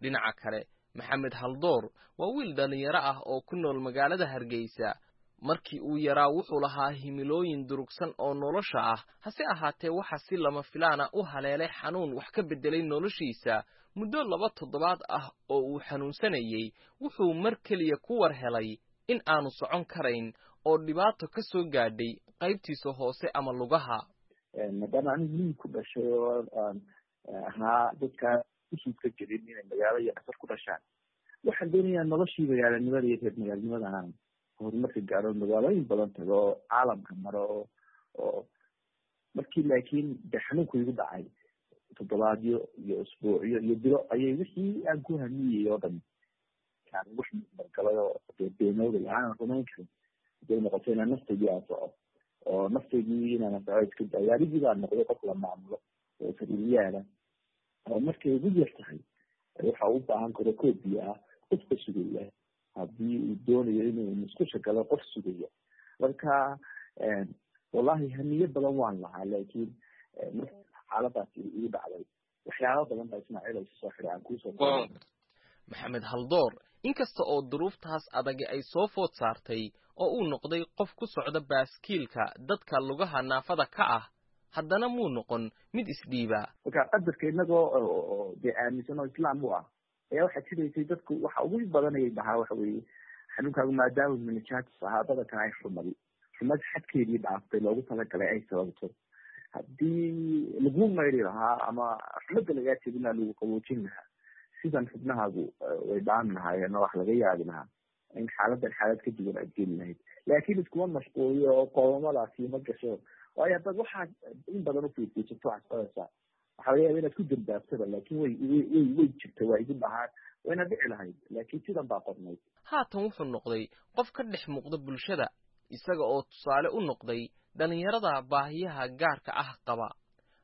Dhinaca kale, Maxamed Haldoor waa wiil dhallinyaro ah oo ku nool magaalada Hargeysa. Markii uu yaraa wuxuu lahaa himilooyin durugsan oo nolosha ah, hase ahaatee waxa si lama filaana u haleelay xanuun wax ka beddelay noloshiisa. Muddo laba toddobaad ah oo uu xanuunsanayey, wuxuu mar keliya ku war helay in aanu socon karayn oo dhibaato ka soo gaadhay qaybtiisa hoose ama lugaha. Maadaama anigu miyi ku dhashay oo aan ahaa dadkaa usuudka gelin inay magaalo iyo qasar ku dhashaan, waxaan doonayaa noloshii magaalanimada iyo reer magaalnimada aan horumarka gaaro, magaalooyin badan tago oo caalamka maro. Oo markii laakiin de xanuunku igu dhacay, toddobaadyo iyo usbuucyo iyo bilo ayay wixii aan ku hamiyey oo dhan arkaan wax mudmargalay oo dee beenooday aanan rumayn karin. Haday noqoto inaan naftaydii anfaco oo naftaydii inaan anfaco iska daayo, anigii baan noqday qof la maamulo oo sariiryaala oo markay ugu yar tahay waxa u baahan karo koob biyo ah qofka sugaya, haddii uu doonayo inuu musqusha galo qof sugaya. Marka wallahi hamiyo badan waan lahaa, laakiin marka xaaladaasi igu dhacday waxyaaba badan baa Ismaaciil ay soo xiray aan kuusoo. Maxamed Haldoor, inkasta oo duruuftaas adagi ay soo food saartay oo uu noqday qof ku socda baaskiilka dadka lugaha naafada ka ah, haddana muu noqon mid isdhiiba. Marka qadarka inagoo dee aaminsan oo islaam u ah ayaa waxaa jiraysay dadku waxa ugu badanayay dhahaa waxa weeye xanuunkaagu maadaama meningitis ahaa badankan ay xumadi xumad xadkeedii dhaaftay loogu talagalay ay sababto, haddii lagu mayri lahaa ama xumadda lagaa jebin lahaa lagu qaboojin lahaa, sidan xubnahaagu way dhaan lahaayeen oo wax laga yaabi lahaa in xaaladan xaalad ka duwan aad geli lahayd. Laakiin iskuma mashquuliyo oo qoomamadaasi ma gasho, waayo haddaad waxaad in badan ufiirfiirsato waxaad soconaysaa waxaa laga yaaba inaad ku dambaabtaba, laakiin way way way way jirta, waa igu dhahaan wayna dhici lahayd, laakiin sidan baa qornayd. Haatan wuxuu noqday qof ka dhex muuqda bulshada, isaga oo tusaale u noqday dhallinyarada baahiyaha gaarka ah qaba.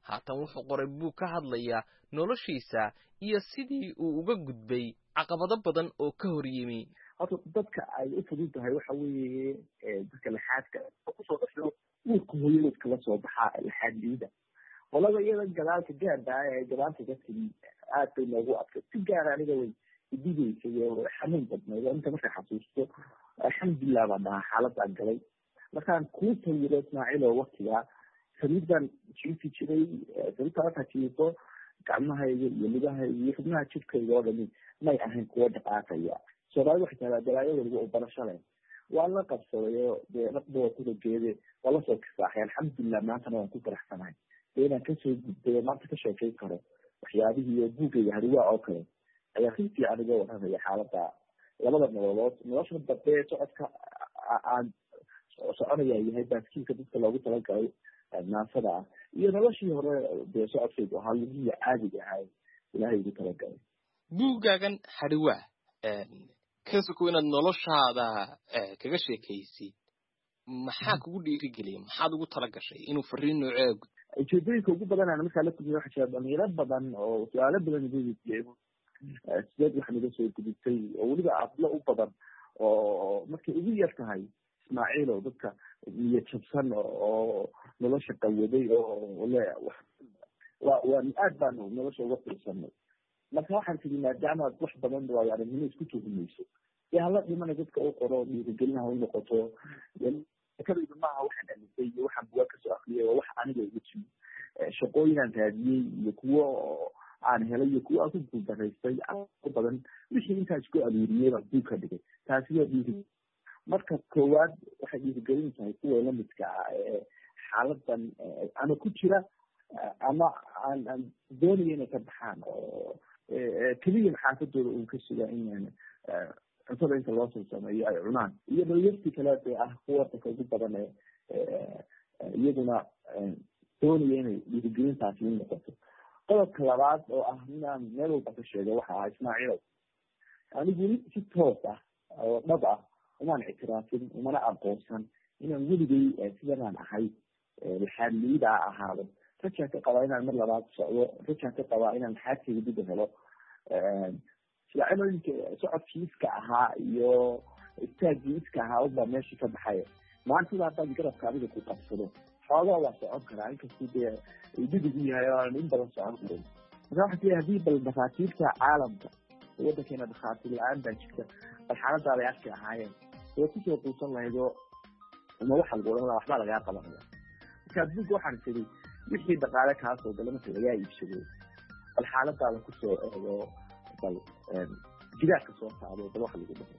Haatan wuxuu qoray buug ka hadlaya noloshiisa iyo sidii uu uga gudbay caqabado badan oo ka hor yimi. Horta dadka ay u fudud tahay waxa weeye dadka laxaadka kusoo dhasho uurka hooyadood kala soo baxaa laxaad liida, qolada iyada gadaalka gaadha ee gadaalka ka timi aad bay noogu adkay si gaara. Aniga way idhigaysay oo xanuun badnayd oo inta marka xasuusto alxamdulilah baan dhahaa xaaladaan galay. Markaan kuu sawiro Ismaaciil oo waktigaa sariir baan jiifi jiray, sariirta markaa jiifo gacmahayga iyo lugahayga iyo xubnaha jidhkayga oo dhami may ahayn kuwo dhaqaaqaya. Soomaalida waxay tahdaa balaayo waliba oo barasho leh, waan la qabsaday oo dee dhaqba waa kula geede waa lasoo kisaaxay alxamdulilah. Maantana waan ku faraxsanahay dee inaan kasoo gudbay oo maanta ka sheekayn karo waxyaabihii oo buugayga hariwaa oo kale ayaa si fiican uga warramaya xaaladda labada nololood. Nolosha dambe socodka aan soconaya yahay baaskiilka dadka loogu talagalay naafada ah, iyo noloshii hore dee socodkaygu ahaa lugihii caadiga ahaa ilaahay ugu talagalay. Buuggaagan Hariwaa, kasoko inaad noloshaada kaga sheekaysid, maxaa kugu dhiirigeliyay? Maxaad ugu tala gashay inuu fariin noocee gud? Ujeedooyinka ugu badan aan markaa la kulmiyay waxaa jira dhalinyaro badan oo su-aalo badan igu weydiiyey sideed wax naga soo gudubtay, oo weliba adlo u badan oo markay ugu yar tahay Ismaaciil oo dadka niyad jabsan oo nolosha qawaday oo le wa waa aad baanu nolosha uga fiirsanay. Marka waxaan tiri maadaama aad wax badan waayo aragnimo isku tuhumayso dee hala dhimana dadka u qoro dhiirigelin ha u noqoto. Kadaydu maaha waxaan alisay iyo waxaan bugaa kasoo akriyay, waa wax aniga igu timi shaqooyin aan raadiyey iyo kuwo aan helay iyo kuwo aan ku guuldaraystay badan, wixii intaas isku aruuriyey baan buug ka dhigay. Taasi waa dhiiri marka koowaad, waxay dhiirigelin tahay kuwa lamidka ah ee xaaladan ama ku jira ama aan aan doonaya inay ka baxaan oo keliya xaafadooda uun ka sugaa in cuntada inta loo soo sameeyo ay cunaan, iyo dhalinyartii kale dee ah kuwa wadanka ugu badan ee iyaguna doonaya inay dhiirigelintaasi u noqoto. Qodobka labaad oo ah inaan meel walba ka sheego waxa ah Ismaaciilow, anigu weli si toos ah oo dhab ah umaan ictiraafin umana aqoonsan inaan weligay sidanaan ahay laxaadliida ahaado. Rajaan ka qabaa inaan mar labaad socdo, rajaan ka qabaa inaan laxaadkayga dib u helo. Ismaaciil socodkii iska ahaa iyo istaagii iska ahaa unbaa meeshii ka baxaya. Maanta sidaa haddaan garabka adiga ku qabsado xoogaa waa socon karaa, inkastuu dee dhidigu yahay oo aan in badan socon karin. Marka waxaa tihi haddii bal dhakhaatiirta caalamka waddankeena dhakhaatiir la-aan baa jirta, bal xaaladaada ay arki lahaayeen way kusoo quusan lahayd oo uma waxa lagu odhan lahaa waxbaa lagaa qabanaya. Marka adduunka waxaan tiri wixii dhaqaale kaasoo gala marka lagaa iibsado bal xaaladaada kusoo eego, bal gidaarka soo saaro, bal waxa lagu dhaho.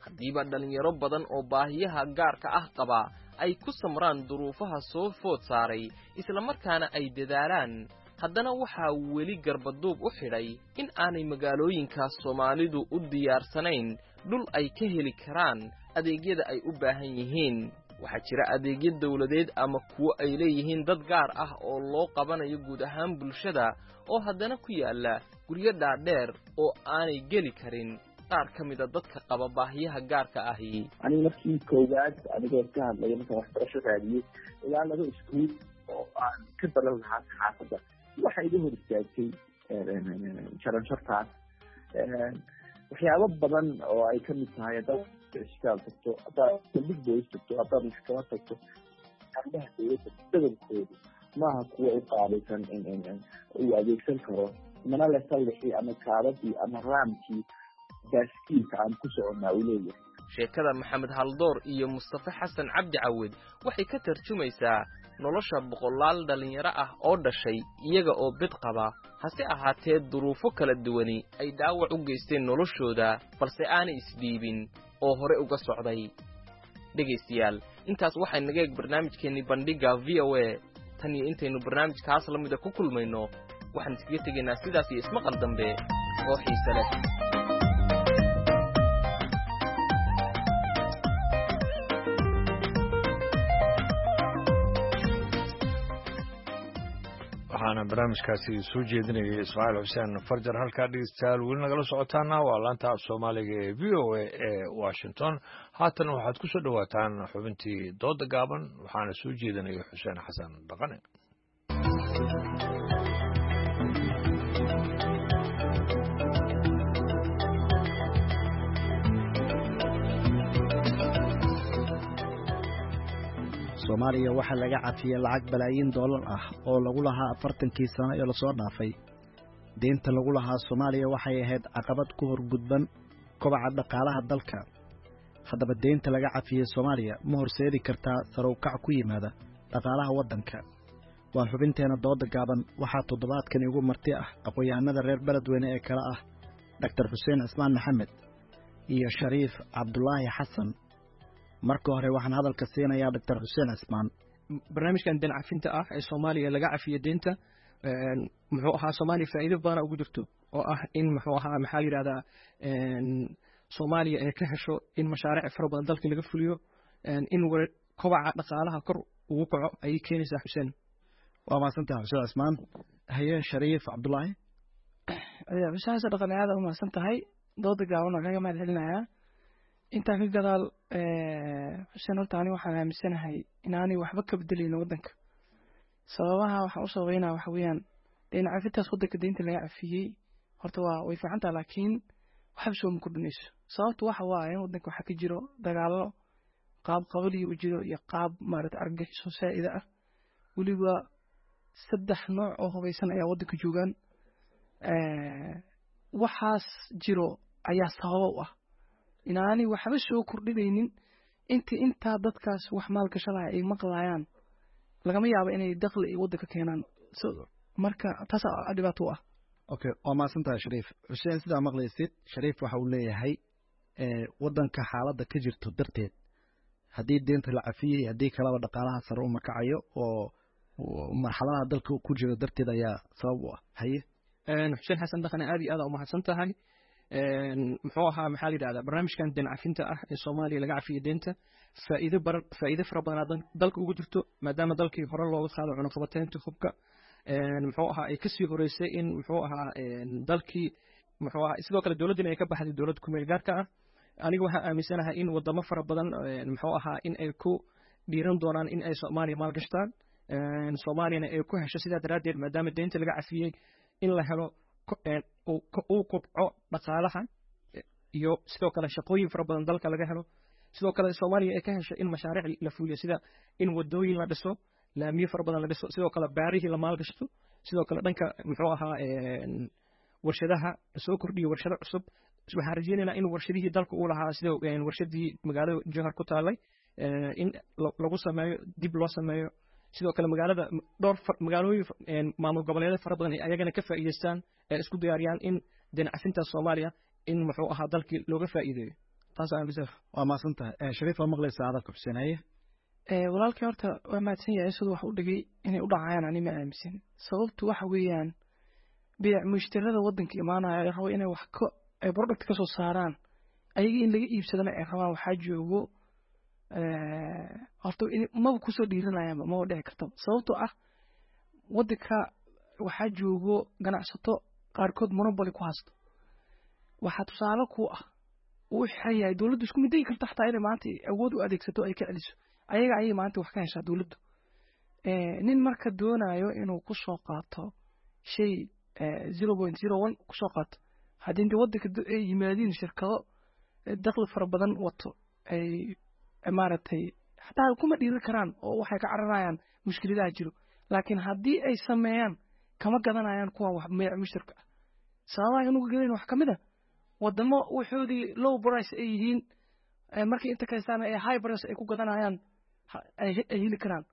Haddiiba dhallinyaro badan oo baahiyaha gaarka ah qabaa ay ku samraan duruufaha soo food saaray islamarkaana ay dadaalaan, haddana waxaa weli garbaduub u xidhay in aanay magaalooyinka Soomaalidu u diyaarsanayn dhul ay ka heli karaan adeegyada ay u baahan yihiin. Waxaa jira adeegyo dawladeed ama kuwo ay leeyihiin dad gaar ah oo loo qabanayo guud ahaan bulshada, oo haddana ku yaalla guryo dhaadheer oo aanay geli karin qaar ka mida dadka qaba baahiyaha gaarka ahi. Aniga markii koowaad anigoo ka hadlaya markaan waxbarasho raadiyey ilaa laba iskuul oo aan ka baran lahaa saxaafadda, waxa iga hor istaagtay jaranjartaas waxyaabo badan oo ay kamid tahay haddaad isbitaal tagto, haddaad saldhig boolis tagto, haddaad maxkamad tagto, arrimaha dowladda badankoodu maaha kuwa u qaabaysan uu adeegsan karo, mana le sallixii ama kaabadii ama raamkii baaskiilka aan ku soconnaa uu leeyahay. Sheekada Maxamed Haldoor iyo Mustafe Xasan Cabdi Cawed waxay ka tarjumaysaa nolosha boqolaal dhallinyaro ah oo dhashay iyaga oo bid qaba, hase ahaatee duruufo kala duwani ay dhaawac u geysteen noloshooda, balse aanay isdhiibin oo hore uga socday. Dhegaystayaal, intaas waxay naga eeg barnaamijkeennii bandhigga V O A. Tan iyo intaynu barnaamijkaas la mida ku kulmayno, waxaan iskaga tegaynaa sidaas iyo ismaqal dambe oo xiise leh. Waxaana barnaamijkaasi soo jeedinayay Ismaaciil Xuseen Farjar. Halkaa dhegeystayaal weli nagala socotaana waa laanta af Soomaaliga ee V O A ee Washington. Haatan waxaad ku soo dhowaataan xubintii dooda gaaban, waxaana soo jeedinaya Xuseen Xasan Dhaqane. Soomaaliya waxaa laga cafiyey lacag balaayiin doolar ah oo lagu lahaa afartankii sano ee lasoo dhaafay. Deynta lagu lahaa Soomaaliya waxay ahayd caqabad ku horgudban kobaca dhaqaalaha dalka. Haddaba deynta laga cafiyey Soomaaliya ma horseedi kartaa sarowkac ku yimaada dhaqaalaha waddanka? Waa xubinteena dooda gaaban. Waxaa toddobaadkan igu marti ah aqoon-yahanada reer beledweyne ee kale ah Doctor Xuseen Cismaan Maxamed iyo Shariif Cabdulaahi Xasan. Marka hore waxaan hadalka siinayaa Doctor Xuseen Cismaan. Barnaamijkan deen cafinta ah ee Soomaaliya laga cafiyo deynta muxuu ahaa Soomaaliya faa'iido badan ugu jirto, oo ah in muxuu ahaa maxaa la yidhahdaa Soomaaliya ay ka hesho in mashaariic fara badan dalka laga fuliyo, in kobaca dhaqaalaha kor ugu kaco ayay keenaysaa. Xuseen, waa mahadsantahay Xuseen Cismaan. Haye Shariif Cabdulaahi. Xuseen Xasan Dhaqane, aad u mahadsan tahay. Dooda gaaban waan kaga mahad celinayaa. Intaa ka gadaal Xuseen, horta ani waxaan aaminsanahay inaanay waxba ka bedelayno waddanka. Sababaha waxaan u sababeynaa waxa weeyaan deyn cafintaas waddanka deynta laga cafiyey horta waa way fiican tahay, laakiin waxba sooma kordhinayso. Sababtu waxa waaye waddanka waxaa ka jiro dagaallo qaab qabaliyo u jiro iyo qaab maarata argagixiso saa'ida ah, weliba saddex nooc oo hubaysan ayaa waddanka joogaan. Waxaas jiro ayaa sababa u ah inaanay waxba soo kordhinaynin. Inta intaa dadkaas wax maalgashanaya ay maqlayaan lagama yaabo inay dakhli ay waddanka keenaan, marka taas dhibaato u ah. Okay, waa mahadsantahay Shariif. Xuseen, sidaa maqlaysid Shariif waxa uu leeyahay waddanka xaaladda ka jirto darteed haddii deynta la cafiyey haddii kalaba dhaqaalaha sare uma kacayo oo marxaladaha dalka ku jiro darteed ayaa sabab u ah. Haye Xuseen Xasan Dhaqane, aad iyo aad u mahadsan tahay. Muxuu ahaa maxaa la yidhahdaa barnaamijkan deen cafinta ah ee Soomaaliya laga cafiyey deynta faa'iido bar faa'iido fara badan dalka ugu jirto, maadaama dalkii hore looga qaado cunaqabateynta hubka, muxuu ahaa ay kasii horeysay in muxuu ahaa dalkii muxuu ahaa sidoo kale dowladdina ay ka baxday dowladda ku meel gaarka ah. Aniga waxaan aaminsanahay in wadamo fara badan muxuu ahaa in ay ku dhiiran doonaan in ay Soomaaliya maalgashtaan, Soomaaliyana ay ku hesho sidaa daraaddeed maadaama deynta laga cafiyey in la helo uu kobco dhaqaalaha iyo sidoo kale shaqooyin fara badan dalka laga helo. Sidoo kale Soomaaliya ay ka hesho in mashaariic la fuliyo, sida in wadooyin la dhiso, laamiyo fara badan la dhiso, sidoo kale baarihii la maalgashto, sidoo kale dhanka muxuu ahaa warshadaha lasoo kordhiyo warshado cusub. Waxaan rajeynaynaa in warshadihii dalka uu lahaa sida warshadii magaalada Jowhar ku taalay in lagu sameeyo, dib loo sameeyo. Sidoo kale magaalada dhowr magaalooyin maamul goboleedyo fara badan ay ayagana ka faa'iideystaan ee isku diyaariyaan in deen cafinta Soomaaliya in muxuu ahaa dalkii looga faa'iideeyo. Taas aan bisaf. Waa mahadsan tahay Shariif. Waa maqlaysaa hadalka Xuseen. Haye walaalkii, horta waa mahadsan yahay siduu wax u dhigay inay u dhacayaan ani ma aaminsan. Sababtu waxa weeyaan beec mushtarada waddanka imaanaya ay rabo inay wax ka ay product ka soo saaraan, ayaga in laga iibsadana ay rabaan. Waxaa joogo horta maba kusoo dhiiranayaanba, maba dhici kartaba. Sababtoo ah waddanka waxaa joogo ganacsato qaarkood monopoly ku haysto. Waxaa tusaale ku ah Uu xiran yahay, dowladdu isku midegi karto xataa inay maanta awood u adeegsato ay ka celiso. Ayaga ayay maanta wax ka heshaa dowladdu. Nin marka doonayo inuu kusoo qaato shay zero point zero one kusoo qaato, haddii inta waddanka ay yimaadiin shirkado dakhli fara badan wato, ay maaragtay xataa kuma dhiiri karaan oo waxay ka cararayaan mushkiladaha jiro. Laakiin haddii ay sameeyaan, kama gadanayaan kuwa wax mushtarka ah. Sababaha inuga gadayn wax kamid a wadamo waxoodii low price ay yihiin, markay inta kaystaan ay high price ay ku gadanayaan ay heli karaan.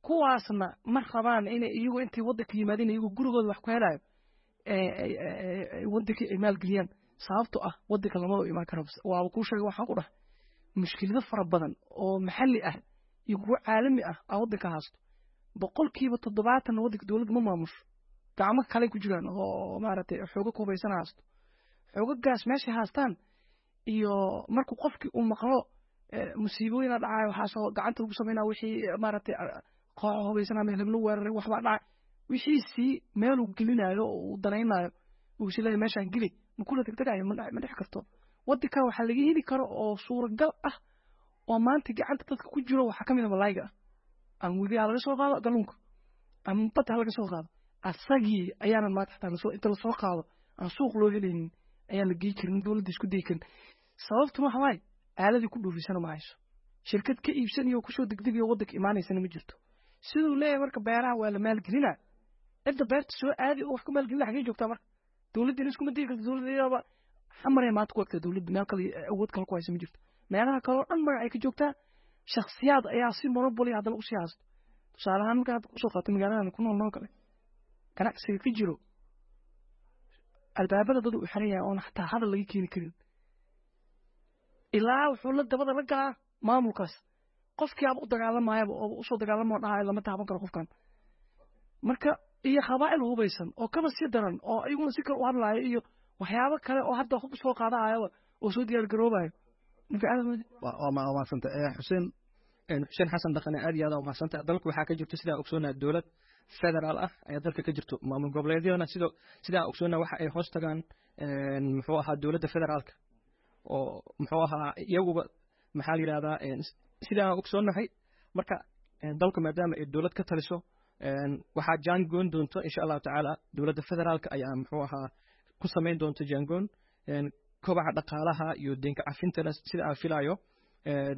Kuwaasna ma rabaan inay iyagu intay waddanka yimaadeen iyagu gurigooda wax ku helayo waddankii ay maalgeliyaan, sababto ah waddanka lama imaan karo. Waaba kuu sheegay, waxaan ku dhahay mushkilado fara badan oo maxalli ah iyo kuwo caalami ah aa waddanka haysto. Boqolkiiba toddobaatan waddanka dowladda ma maamusho, gacmo kale ku jiraan oo maaragtay xoogo kubaysan haysto. Xoogagaas meeshay haystaan iyo markuu qofkii uu maqlo musiibooyina dhacayo, waxaasoo gacanta lagu sameynaa, wixii maaragtay kooxo hubaysanaa meel heblo weeraray, waxbaa dhacay, wixiisii meeluu gelinayo oo uu danaynayo uu is leeyahay meeshaan geli ma kula degdegayo, ma dhex karto. Waddanka waxaa laga heli karo oo suuragal ah oo maanta gacanta dadka ku jiro waxaa kamid a malaayga ah, ama webi ha laga soo qaado kalluunka ama badda ha laga soo qaado. Asagii ayaanan maanta xataa lasoo inta lasoo qaado aan suuq loo helaynin, ayaan la gey karin, dowladda isku dayi karin. Sababtuna waxa waaye aaladii ku dhoofisana ma hayso, shirkad ka iibsanayo kusoo degdegayo waddanka imaanaysana ma jirto. Siduu leeyahay marka beeraha waa la maalgelinaa, cidda beerta soo aadi oo wax ku maalgelina xagee joogtaa? Marka dowladdiina iskuma dayi karto. Dowladda iyadaba xamaree maanta ku egtaa, dowladda meel kale awood kale ku haysa ma jirto. Meelaha kale oo dhan magac ay ka joogtaa, shakhsiyaad ayaa si monopoly haddana usii haysto. Tusaale ahaan marka hadda kusoo qaato magaaladan ku nool noo kale, ganacsiga ka jiro albaabada dad uu xiran yahay oon xataa hadal laga keeni karin, ilaa wuxuu la dabada la galaa maamulkaas. Qofkii aaba u dagaalamayaba oo usoo dagaalamo dhahayo lama taaban karo qofkan. Marka iyo qabaa'il hubaysan oo kaba sii daran oo iyaguna si kale u hadlaayo iyo waxyaabo kale oo hadda hub soo qaadahayaba oo soo diyaar garoobayo. Waa mahadsanta Xuseen. Xuseen Xasan Dhaqane, aad iyo aad umahadsantahay. Dalku waxaa ka jirto, sidaa ogsoonaa, dowlad federaal ah ayaa dalka ka jirto. Maamul goboleedyadana sidoo sidaa ogsoonaa waxa ay hoos tagaan muxuu ahaa dowladda federaalka oo muxuu ahaa iyaguba maxaa la yidhahdaa sidaa ogsoonnahay. Marka dalku maadaama ay dowlad ka taliso, waxaa jaangoon doonto insha Allahu tacaala dowladda federaalka ayaa muxuu ahaa ku samayn doonto jaangoon kobaca dhaqaalaha iyo deynka cafintana. Sida aan filayo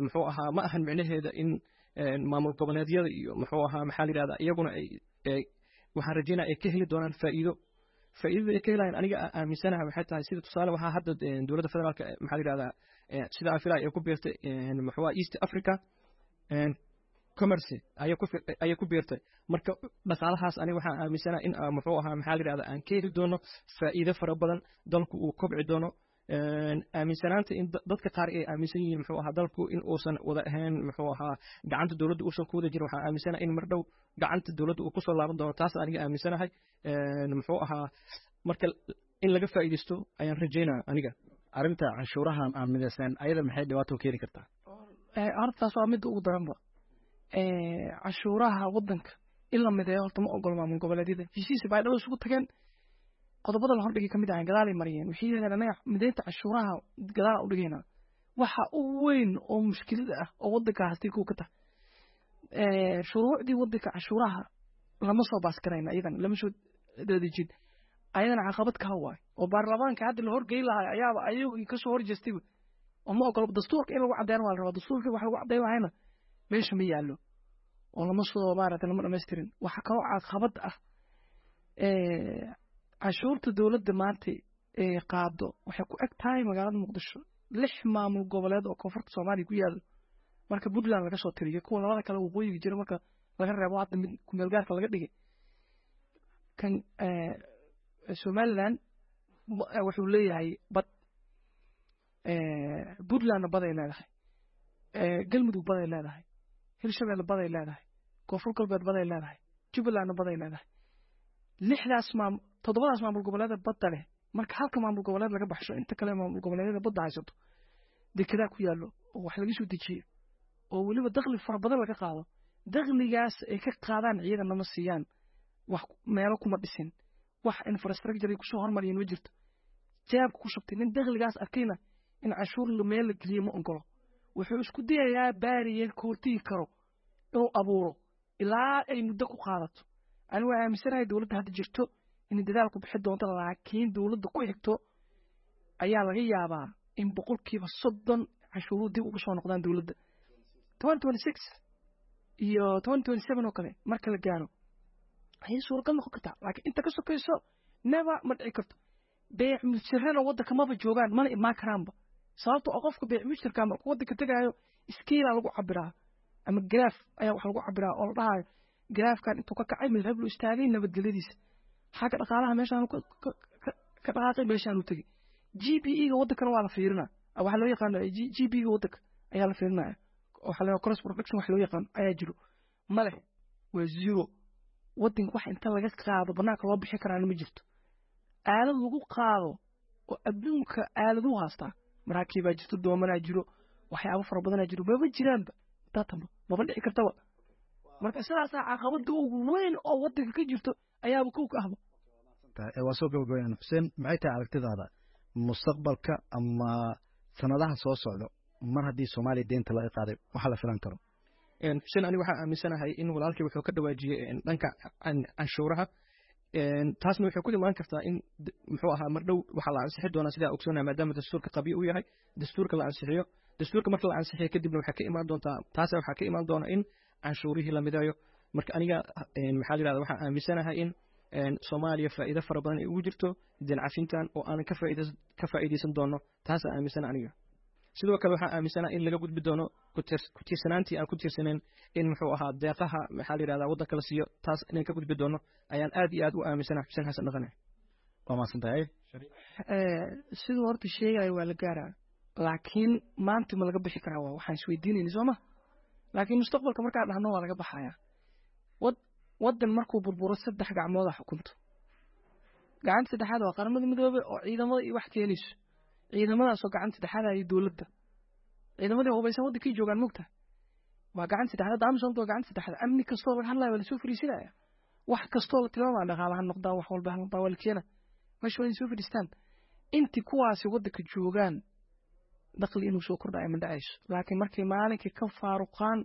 muxuu ahaa ma ahan micnaheeda in maamul goboleedyada iyo muxuu ahaa maxaa la yidhahdaa iyaguna ay waxaan rajeynaya ay ka heli doonaan faa'iido. Faa'iidada ay ka helayaan aniga aan aaminsanahay waxay tahay, sida tusaale waxaa hadda dowladda federaalka maxaa la yidhahdaa sida aan filayo ay ku biirtay muxuu ahaa East Africa Commerce ayay ku ayay ku biirtay. Marka dhaqaalahaas aniga waxaan aaminsanahay in muxuu ahaa maxaa la yidhahdaa aan ka heli doono faa'iido fara badan, dalku uu kobci doono. Aaminsanaanta in dadka qaar ay aaminsan yihiin muxuu ahaa dalku in uusan wada ahayn muxuu ahaa gacanta dowladda uusan ku wada jirin, waxaan aaminsanahay in mar dhow gacanta dowladda uu kusoo laaban doono. Taas aniga aaminsanahay muxuu ahaa marka in laga faa'iidaysto ayaan rajeynaya aniga. Arrinta canshuurahan aan midaysnayn ayada maxay dhibaato keeni kartaa? Horta taas waa midda ugu daranba. Canshuuraha waddanka in la mideeyo horta ma ogolo maamul goboleedyada. Heshiis bay dhalo isugu tageen, qodobada la hordhigay kamid ahayn gadaalay mariyeen. Waxay yidhahdeen anaga mideynta canshuuraha gadaal u dhigaynaa. Waxa ugu weyn oo mushkilada ah oo waddanka hastay kuwa ka tahay shuruucdii waddanka canshuuraha lama soo baas garayna, iyadan lama soo dadejin, ayadana caqabad kaa waay oo baarlamaanka hadda la horgeyn lahaa ayaaba ayagii kasoo horjeestayba oo ma ogolo. Dastuurka in lagu caddeyn waa la rabaa, dastuurka wax lagu caddeyn lahayna meesha ma yaallo oo lama soo maaragtay lama dhammaystirin. Waxa kaloo caqabad ah canshuurta dowladda maanta ee qaado waxay ku eg tahay magaalada Muqdisho. Lix maamul goboleed oo koonfurta Soomaaliya ku yaallo marka Puntland laga soo tiriyo, kuwa labada kale waqooyiga jira marka laga reebo hadda mid kumeel gaarka laga dhigay kan Somaliland wuxuu leeyahay bad, Puntlandna baday leedahay, Galmudug baday leedahay, Hirshabelle baday leedahay, Koonfur Galbeed baday leedahay, Jubbalandna baday leedahay. Lixdaas maam toddobadaas maamul goboleeda badda leh, marka halka maamul goboleed laga baxsho, inta kale maamul goboleedyada badda haysato dekedaa ku yaallo oo wax laga soo dejiyo oo weliba dakhli fara badan laga qaado. Dakhligaas ay ka qaadaan ciidanna ma siiyaan, wax meelo kuma dhisin, wax infrastructure ay kusoo hormariyeen ma jirto. Jaabka ku shubtay nin dakhligaas arkayna In canshuur meel la geliyo ma ogolo. Wuxuu isku dayayaa barrier ka hortigi karo inuu abuuro ilaa ay muddo ku qaadato. Anigu waa aaminsanahay dowladda hadda jirto inay dadaal ku bixi doonto, laakiin dowladda ku xigto ayaa laga yaabaa in boqolkiiba soddon canshuuruhu dib uga soo noqdaan dowladda. Twenty twenty six iyo twenty twenty seven oo kale marka la gaaro ayay suuragal noqon kartaa, laakiin inta ka sokayso never, ma dhici karto. Beec mushtarana waddanka maba joogaan, mana imaan karaanba, sababto oo qofka beec mushtarka markuu waddanka tegaayo scale lagu cabiraa ama graph ayaa wax lagu cabiraa oo la dhahayo graphkan intuu ka kacay meel heblu istaagay, nabadgelyadiisa xagga dhaqaalaha meeshaan ka dhaqaaqay, meeshaan u tegey. G P ga waddankana waa la fiirinaa, waxaa loo yaqaano G P ga waddanka ayaa la fiirinaya, waxaa loo cross production wax loo yaqaano ayaa jiro. Male, waa zero. Waddanka wax inta laga qaado banaanka loo bixi karaana ma jirto. Aalad lagu qaado oo adduunka aaladuu haastaa, maraakiibaa jirto, doomanaa jiro, waxyaabo fara badanaa jiro, maba jiraanba daatanba, maba dhici kartaba. Marka sidaasaa caqabada ugu weyn oo waddanka ka jirto ayaaba kow ka ahba. Waa soo gabagabayaan. Xuseen, maxay tahay aragtidaada mustaqbalka ama sanadaha soo socda mar haddii Soomaaliya deynta laga qaaday, waxa la filan karo? Xuseen, aniga waxaa aaminsanahay in walaalkii wuxuu ka dhawaajiyey dhanka canshuuraha. Taasna waxay ku imaan kartaa in, muxuu ahaa, mar dhow waxaa la ansixi doonaa, sidaa ogsoonaa, maadaama dastuurka qabyo uu yahay, dastuurka la ansixiyo. Dastuurka marka la ansixiyo kadibna waxaa ka imaan doontaa, taas waxaa ka imaan doona in canshuurihii la mideeyo. Marka aniga, maxaa la yidhahda, waxaa aaminsanahay in Soomaaliya faa'iido fara badan ay ugu jirto deyn cafintan oo aanan ka faa'iidays ka faa'iidaysan doono. Taasaa aaminsana aniga. Sidoo kale waxaa aaminsana in laga gudbi doono ku tiirsanaantii aan ku tiirsanayn in, muxuu ahaa, deeqaha, maxaa la yidhahdaa, waddanka la siiyo. Taas inaan ka gudbi doono ayaan aad iyo aad u aaminsana, Xuseen Xasan Dhaqane. Waa mahadsantahay. Siduu horta sheegayo waa la gaaraa, laakiin maanta ma laga bixi karaa? Waa waxaan isweydiinayna, soo ma? Laakiin mustaqbalka markaan dhahno waa laga baxayaa. Wad waddan markuu burburo saddex gacmooda xukunto. Gacanta saddexaad waa Qaramada Midoobey oo ciidamada iyo wax keenayso, ciidamadaasoo gacanta saddexaad iyo dowladda, ciidamadii hubaysan waddankii joogaan mugta waa gacanta saddexaad. AMISOM waa gacanta saddexaad. Amni kastoo laga hadlaya waa lasoo fariisinaya, wax kastoo la tilmaamaya, dhaqaala ha noqdaa, wax walba ha noqdaa, waa la keena meesha, waa inay soo fadhiistaan. Intii kuwaasi waddanka joogaan dakhli inuu soo kordhayo ma dhacayso, laakiin markay maalinkii ka faaruqaan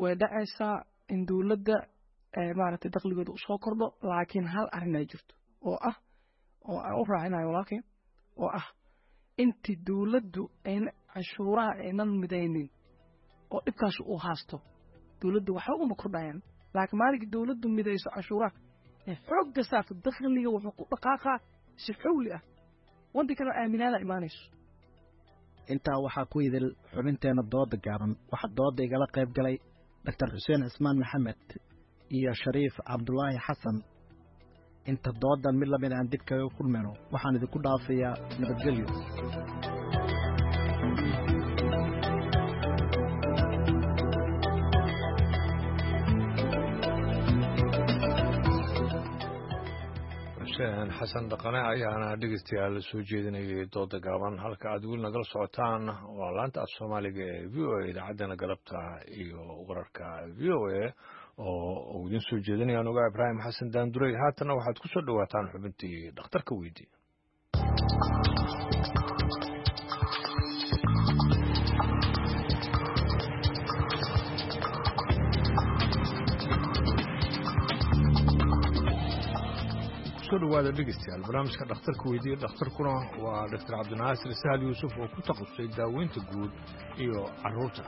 way dhacaysaa in dowladda maaragtay dakhligooda usoo kordho. Laakiin hal arrin ay jirto oo ah oo aan u raacinayo walaalkay, oo ah intii dowladdu ayna canshuuraha aynan midaynin oo dhibkaas uu haasto, dowladdu waxba uma kordhayaan. Laakiin maalinkii dowladdu midayso canshuuraha ee xoogga saarto, dakhliga wuxuu ku dhaqaaqaa si xawli ah, waddankana aaminaada imaanayso. Intaa waxaa ku idil xubinteenna dooda gaaban. Waxaa dooda igala qayb galay Doctor Xuseen Cismaan Maxamed iyo Shariif Cabdulaahi Xasan. Inta doodan mid lamid aan dib kaga kulmayno, waxaan idinku dhaafayaa nabadgelyo. Xuseen Xasan Dhaqane ayaana dhegeystayaal soo jeedinayay dooda gaaban. Halka aad weli nagala socotaan waa laanta af Soomaaliga ee V O A, idaacaddana galabta iyo wararka V O A oo uu idiin soo jeedinayaan ogaa Ibraahim Xasan Daandurey. Haatana waxaad ku soo dhowaataan xubintii dhakhtarka weydii. Kusoo dhawaada dhegeystayaal barnaamijka dhakhtarka weydiiya. Dhakhtarkuna waa Doctor Cabdinaasir Sahal Yuusuf oo ku takhasusay daaweynta guud iyo carruurta.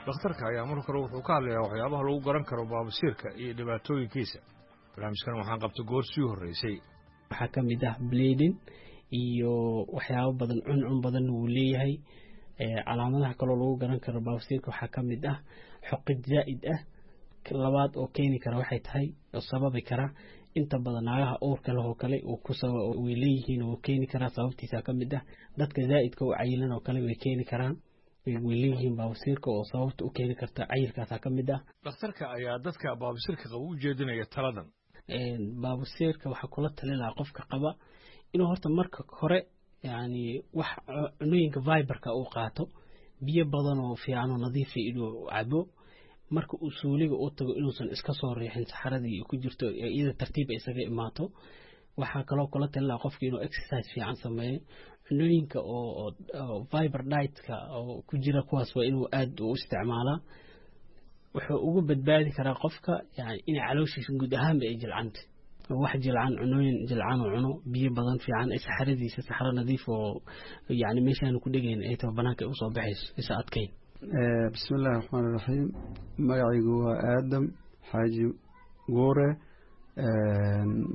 Dhakhtarka ayaa mar kale wuxuu ka hadlayaa waxyaabaha lagu garan karo baabasiirka iyo dhibaatooyinkiisa. Barnaamijkan waxaan qabtay goor sii horreysay. Waxaa ka mid ah bleeding iyo waxyaabo badan, cuncun badan wuu leeyahay. Calaamadaha kaloo lagu garan karo baabasiirka waxaa ka mid ah xoqid zaa'id ah. Labaad oo keeni kara waxay tahay oo sababi kara, inta badan naagaha uurka leh oo kale way leeyihiin, wuu keeni karaa. Sababtiisa ka mid ah dadka zaa'idka u cayilan oo kale way keeni karaan, way leeyihiin baabasiirka oo sababta u keeni karta cayilkaasaa ka mid ah. Dhakhtarka ayaa dadka baabasiirka qaba u jeedinaya taladan. Baabasiirka waxaa kula talin lahaa qofka qaba inuu horta marka hore yani wax cunooyinka fiberka uu qaato, biyo badan oo fiican oo nadiifa inuu cabo, marka uu suuliga u tago inuusan iska soo riixin saxaradii ku jirto, iyada tartiib isaga imaato. Waxaa kaloo kula talin lahaa qofka inuu exercise fiican sameeyo. Cunooyinka oo fiber dietka oo ku jira kuwaas waa inuu aad u isticmaalaa. Wuxuu ugu badbaadi karaa qofka yani inay calooshiisa guud ahaanba ay jilcanta, wax jilcan, cunooyin jilcan oo cuno, biyo badan fiican, ay saxaradiisa saxaro nadiif oo yani meeshaan ku dhegayn ay tahay banaanka ay usoo baxayso isa adkayn. Bismi illaahi raxmaan iraxiim. Magacaygu waa Aadam Xaaji Guure.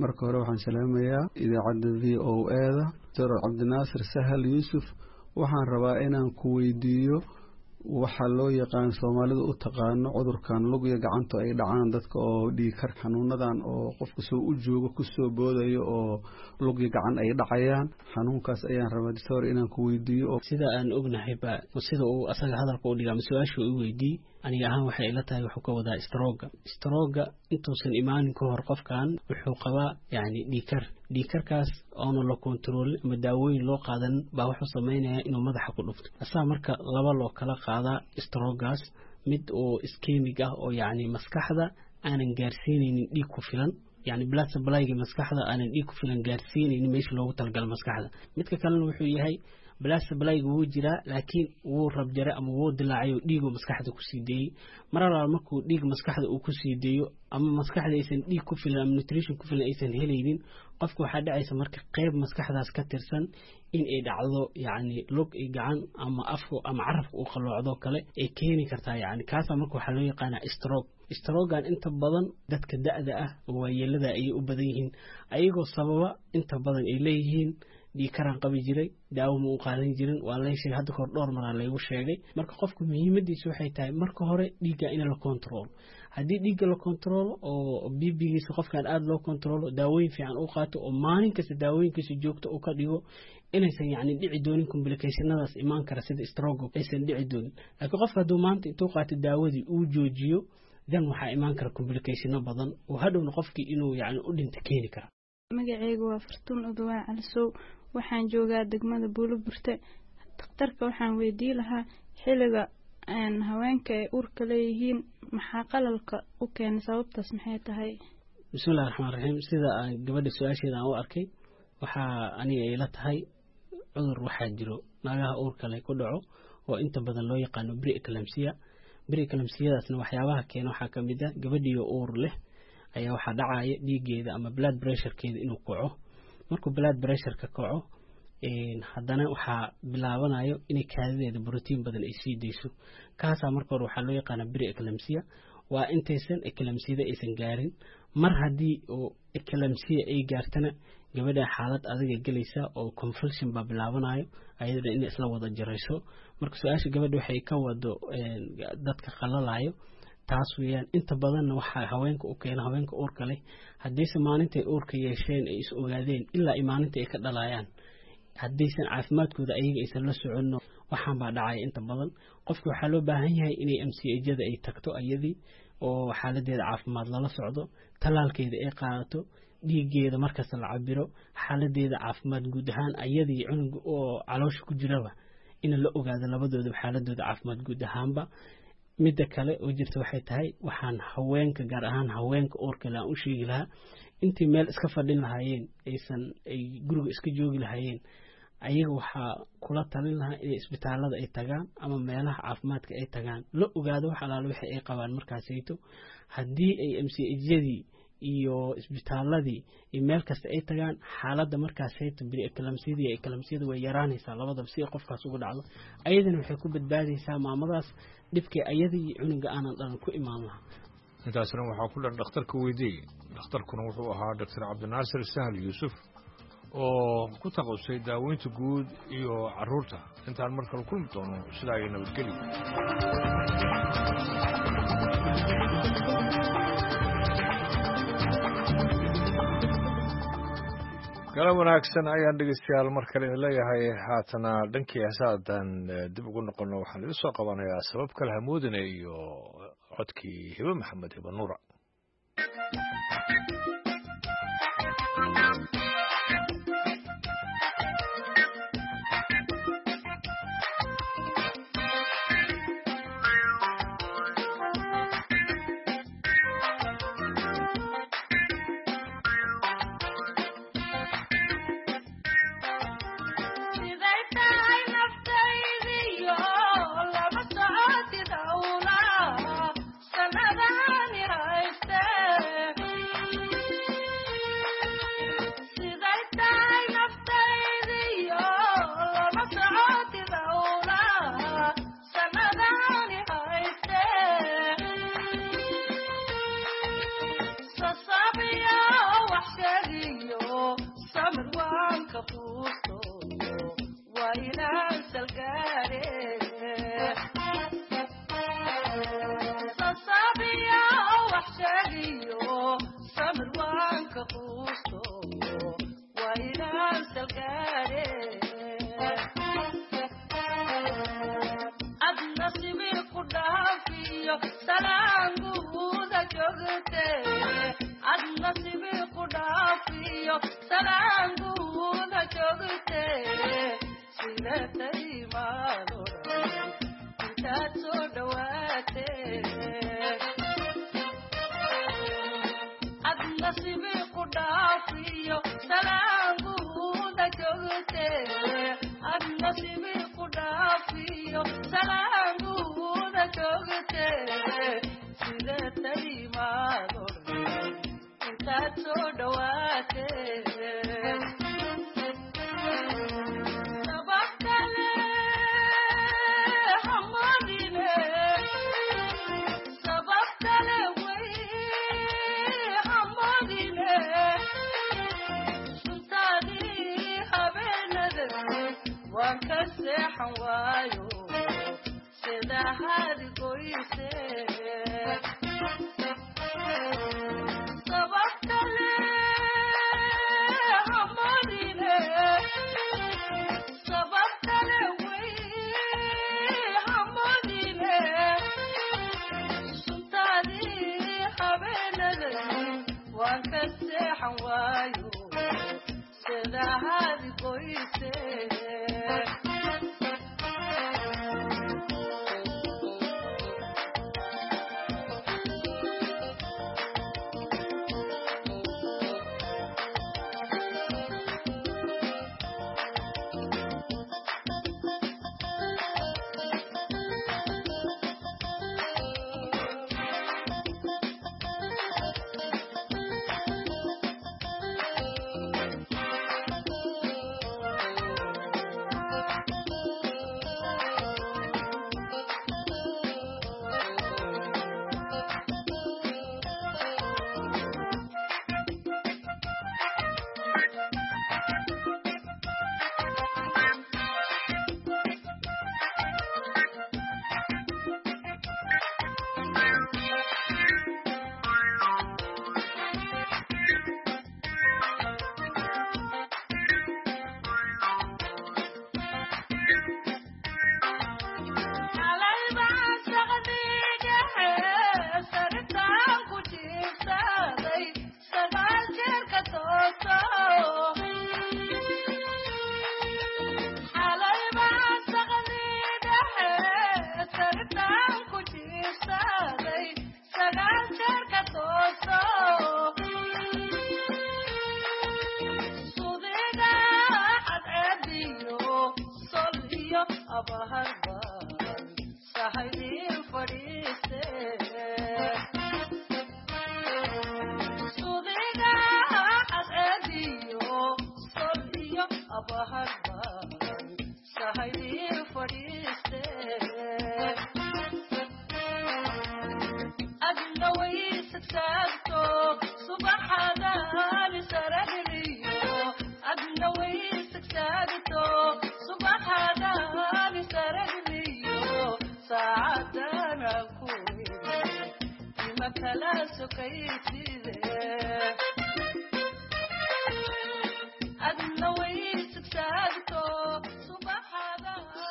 Marka hore waxaan salaamayaa idaacadda V O A-da. Doctor Cabdinaasir Sahal Yuusuf, waxaan rabaa inaan ku weydiiyo waxaa loo yaqaan Soomaalidu u taqaano cudurkan lugya gacanta ay dhacaan dadka oo dhiigkar, xanuunadan oo qofka soo u joogo kusoo boodayo oo lugya gacan ay dhacayaan, xanuunkaas ayaan rabaa doctor inaan ku weydiiyo. Sida aan ognahay ba sida uu asaga hadalka u dhigaa ama su-aasha u weydiiyey, aniga ahaan waxay ila tahay wuxuu ka wadaa strooga. Strooga intuusan imaanin ka hor qofkan wuxuu qabaa yani dhiigkar. Dhiigkarkaas oona la kontaroolin ama daawooyin loo qaadanin baa wuxuu samaynayaa inuu madaxa ku dhufto asaa. Marka laba loo kala qaadaa stroogaas: mid oo ischemic ah oo yacni maskaxda aanan gaarsiinaynin dhiig ku filan, yani blood supplyga maskaxda aanan dhiig ku filan gaarsiinaynin meesha loogu talagalo maskaxda. Midka kalena wuxuu yahay blood supplyga wuu jiraa, laakiin wuu rabjaray ama wuu dilaacay oo dhiiguu maskaxda kusii deeyey. Mar alaala markuu dhiig maskaxda uu kusii deeyo ama maskaxda aysan dhiig ku filan ama nutrition ku filan aysan helaynin, qofka waxaa dhacaysa marka qeyb maskaxdaas ka tirsan in ay dhacdo, yacni lug iyo gacan ama afku ama carabka uu qalloocdo kale ay keeni kartaa. Yani kaasaa marka waxaa loo yaqaanaa stroke. Strogan inta badan dadka da'da ah oo waayeelada ayay u badan yihiin, ayagoo sababa inta badan ay leeyihiin dhiigkaraan qabi jiray, daawo ma u qaadan jirin, waa lay sheegay hadda kahor, dhowr maraa laygu sheegay. Marka qofku muhiimadiisa waxay tahay marka hore dhiigga in la control. Haddii dhiigga la controlo oo B P-giisa qofkan aada loo controlo, daawooyin fiican u qaato oo maalin kasta daawooyinkiisa joogto u ka dhigo, inaysan yacni dhici doonin complicationadaas imaan kara sida stroke aysan dhici doonin. Laakiin qofka hadduu maanta intuu qaato daawadii uu joojiyo, dan waxaa imaan kara complicationo badan oo hadhowna qofkii inuu yacni u dhinto keeni kara. Magacaygu waa Fartuun Udwaan Calisow, waxaan joogaa degmada Buuloburte. Dhakhtarka waxaan weydii lahaa xilliga haweenka ay uurka leeyihiin maxaa qalalka u keenay, sababtaas maxay tahay? Bismillahi raxmaan raxiim. Sida aan gabadha su-aasheeda aan u arkay, waxaa aniga ila tahay cudur waxaa jiro naagaha uurka leh ku dhaco oo inta badan loo yaqaano pre-eclampsia. Pre-eclampsiadaasna waxyaabaha keena waxaa ka mid ah gabadhiyo uur leh ayaa waxaa dhacaya dhiiggeeda ama blood pressurekeeda inuu kaco. Markuu blood pressureka kaco, haddana waxaa bilaabanayo inay kaadideeda brotiin badan ay sii deyso. Kaasaa marka hore waxaa loo yaqaanaa pre-eclampsia, waa intaysan eclampsiyada aysan gaarin. Mar haddii oo eclampsia ay gaartana, gabadha xaalad adiga gelaysa oo convulsion baa bilaabanayo, ayadana inay isla wada jarayso. Marka su-aasha gabadha waxay ka wado dadka qalalayo taas weeyaan. Inta badanna waxaa haweenka u keena haweenka uurka leh, haddiise maalintay uurka yeesheen ay is ogaadeen ilaa ay maalinta ay ka dhalayaan, haddaysan caafimaadkooda ayaga aysan la soconno, waxaan baa dhacaya inta badan. Qofka waxaa loo baahan yahay inay M C H-yada ay tagto ayadii oo xaaladeeda caafimaad lala socdo, tallaalkeeda ay qaadato, dhiiggeeda markasta la cabiro, xaaladeeda caafimaad guud ahaan ayadii cunuga oo caloosha ku jiraba in la ogaado labadooda xaaladooda caafimaad guud ahaanba. Midda kale oo jirta waxay tahay, waxaan haweenka, gaar ahaan haweenka uurka leh, aan u sheegi lahaa intii meel iska fadhin lahaayeen, aysan ay guriga iska joogi lahaayeen, ayaga waxaa kula talin lahaa inay isbitaalada ay tagaan ama meelaha caafimaadka ay tagaan, la ogaado wax alaalo wixii ay qabaan markaasayto. Haddii ay M C H-yadii iyo isbitaaladii iyo meel kasta ay tagaan, xaaladda markaasayto pre-eclampsiyada iyo eclampsiyada way yaraanaysaa labadaba si ay qofkaas ugu dhacdo. Ayadana waxay ku badbaadaysaa maamadaas dhibkii ayada iyo cunuga aanan dhalan ku imaan lahaa. Intaasna waxaa ku dhan dhakhtarka weydiiyey. Dhakhtarkuna wuxuu ahaa Doctor Cabdinaasir Sahal Yuusuf oo ku takhasusay daaweynta guud iyo carruurta. Intaan mar kale kulmi doono, sidaa iyo nabadgelyo. Galab wanaagsan ayaan dhegeystayaal mar kale idin leeyahay. Haatana dhankii heesaadan dib ugu noqono, waxaan idin soo qabanayaa Sabab Kale Hamoodine iyo codkii Hibe Maxamed, Hibe Nuura. Salaanguuda joogte adna sibi ku dhaafiyo salaanguuda joogte sidatay maado intaad soo dhawaate adna sibi ku dhaafiyo salaanguuda joogte adna sibi ku dhaafiyo salaanguuda joogte sidatay maado intaad soo dhawaate sabab kale hamadine sabab kale way hamadine suntaadii habeenada waan ka seexan waayo sida hadi goyse sabab kale hamadine sabab kale way hamadine suntaadii habeenada waan ka seexan waayo sida hadi goyse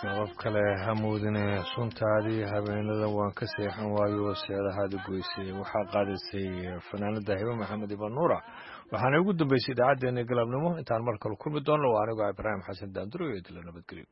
Sabab kale hamoodine suntaadii habeenada waan ka seexan waayo seedahaada goysay waxaa qaadaysay fanaanada Hibo Maxamed Iban Nuura waxaana ugu dambeysay idaacaddeenna galabnimo intaan mar kale kulmi doonno waa anigoo Ibraahim Xasan Daanduro iyo dila nabadgelyo.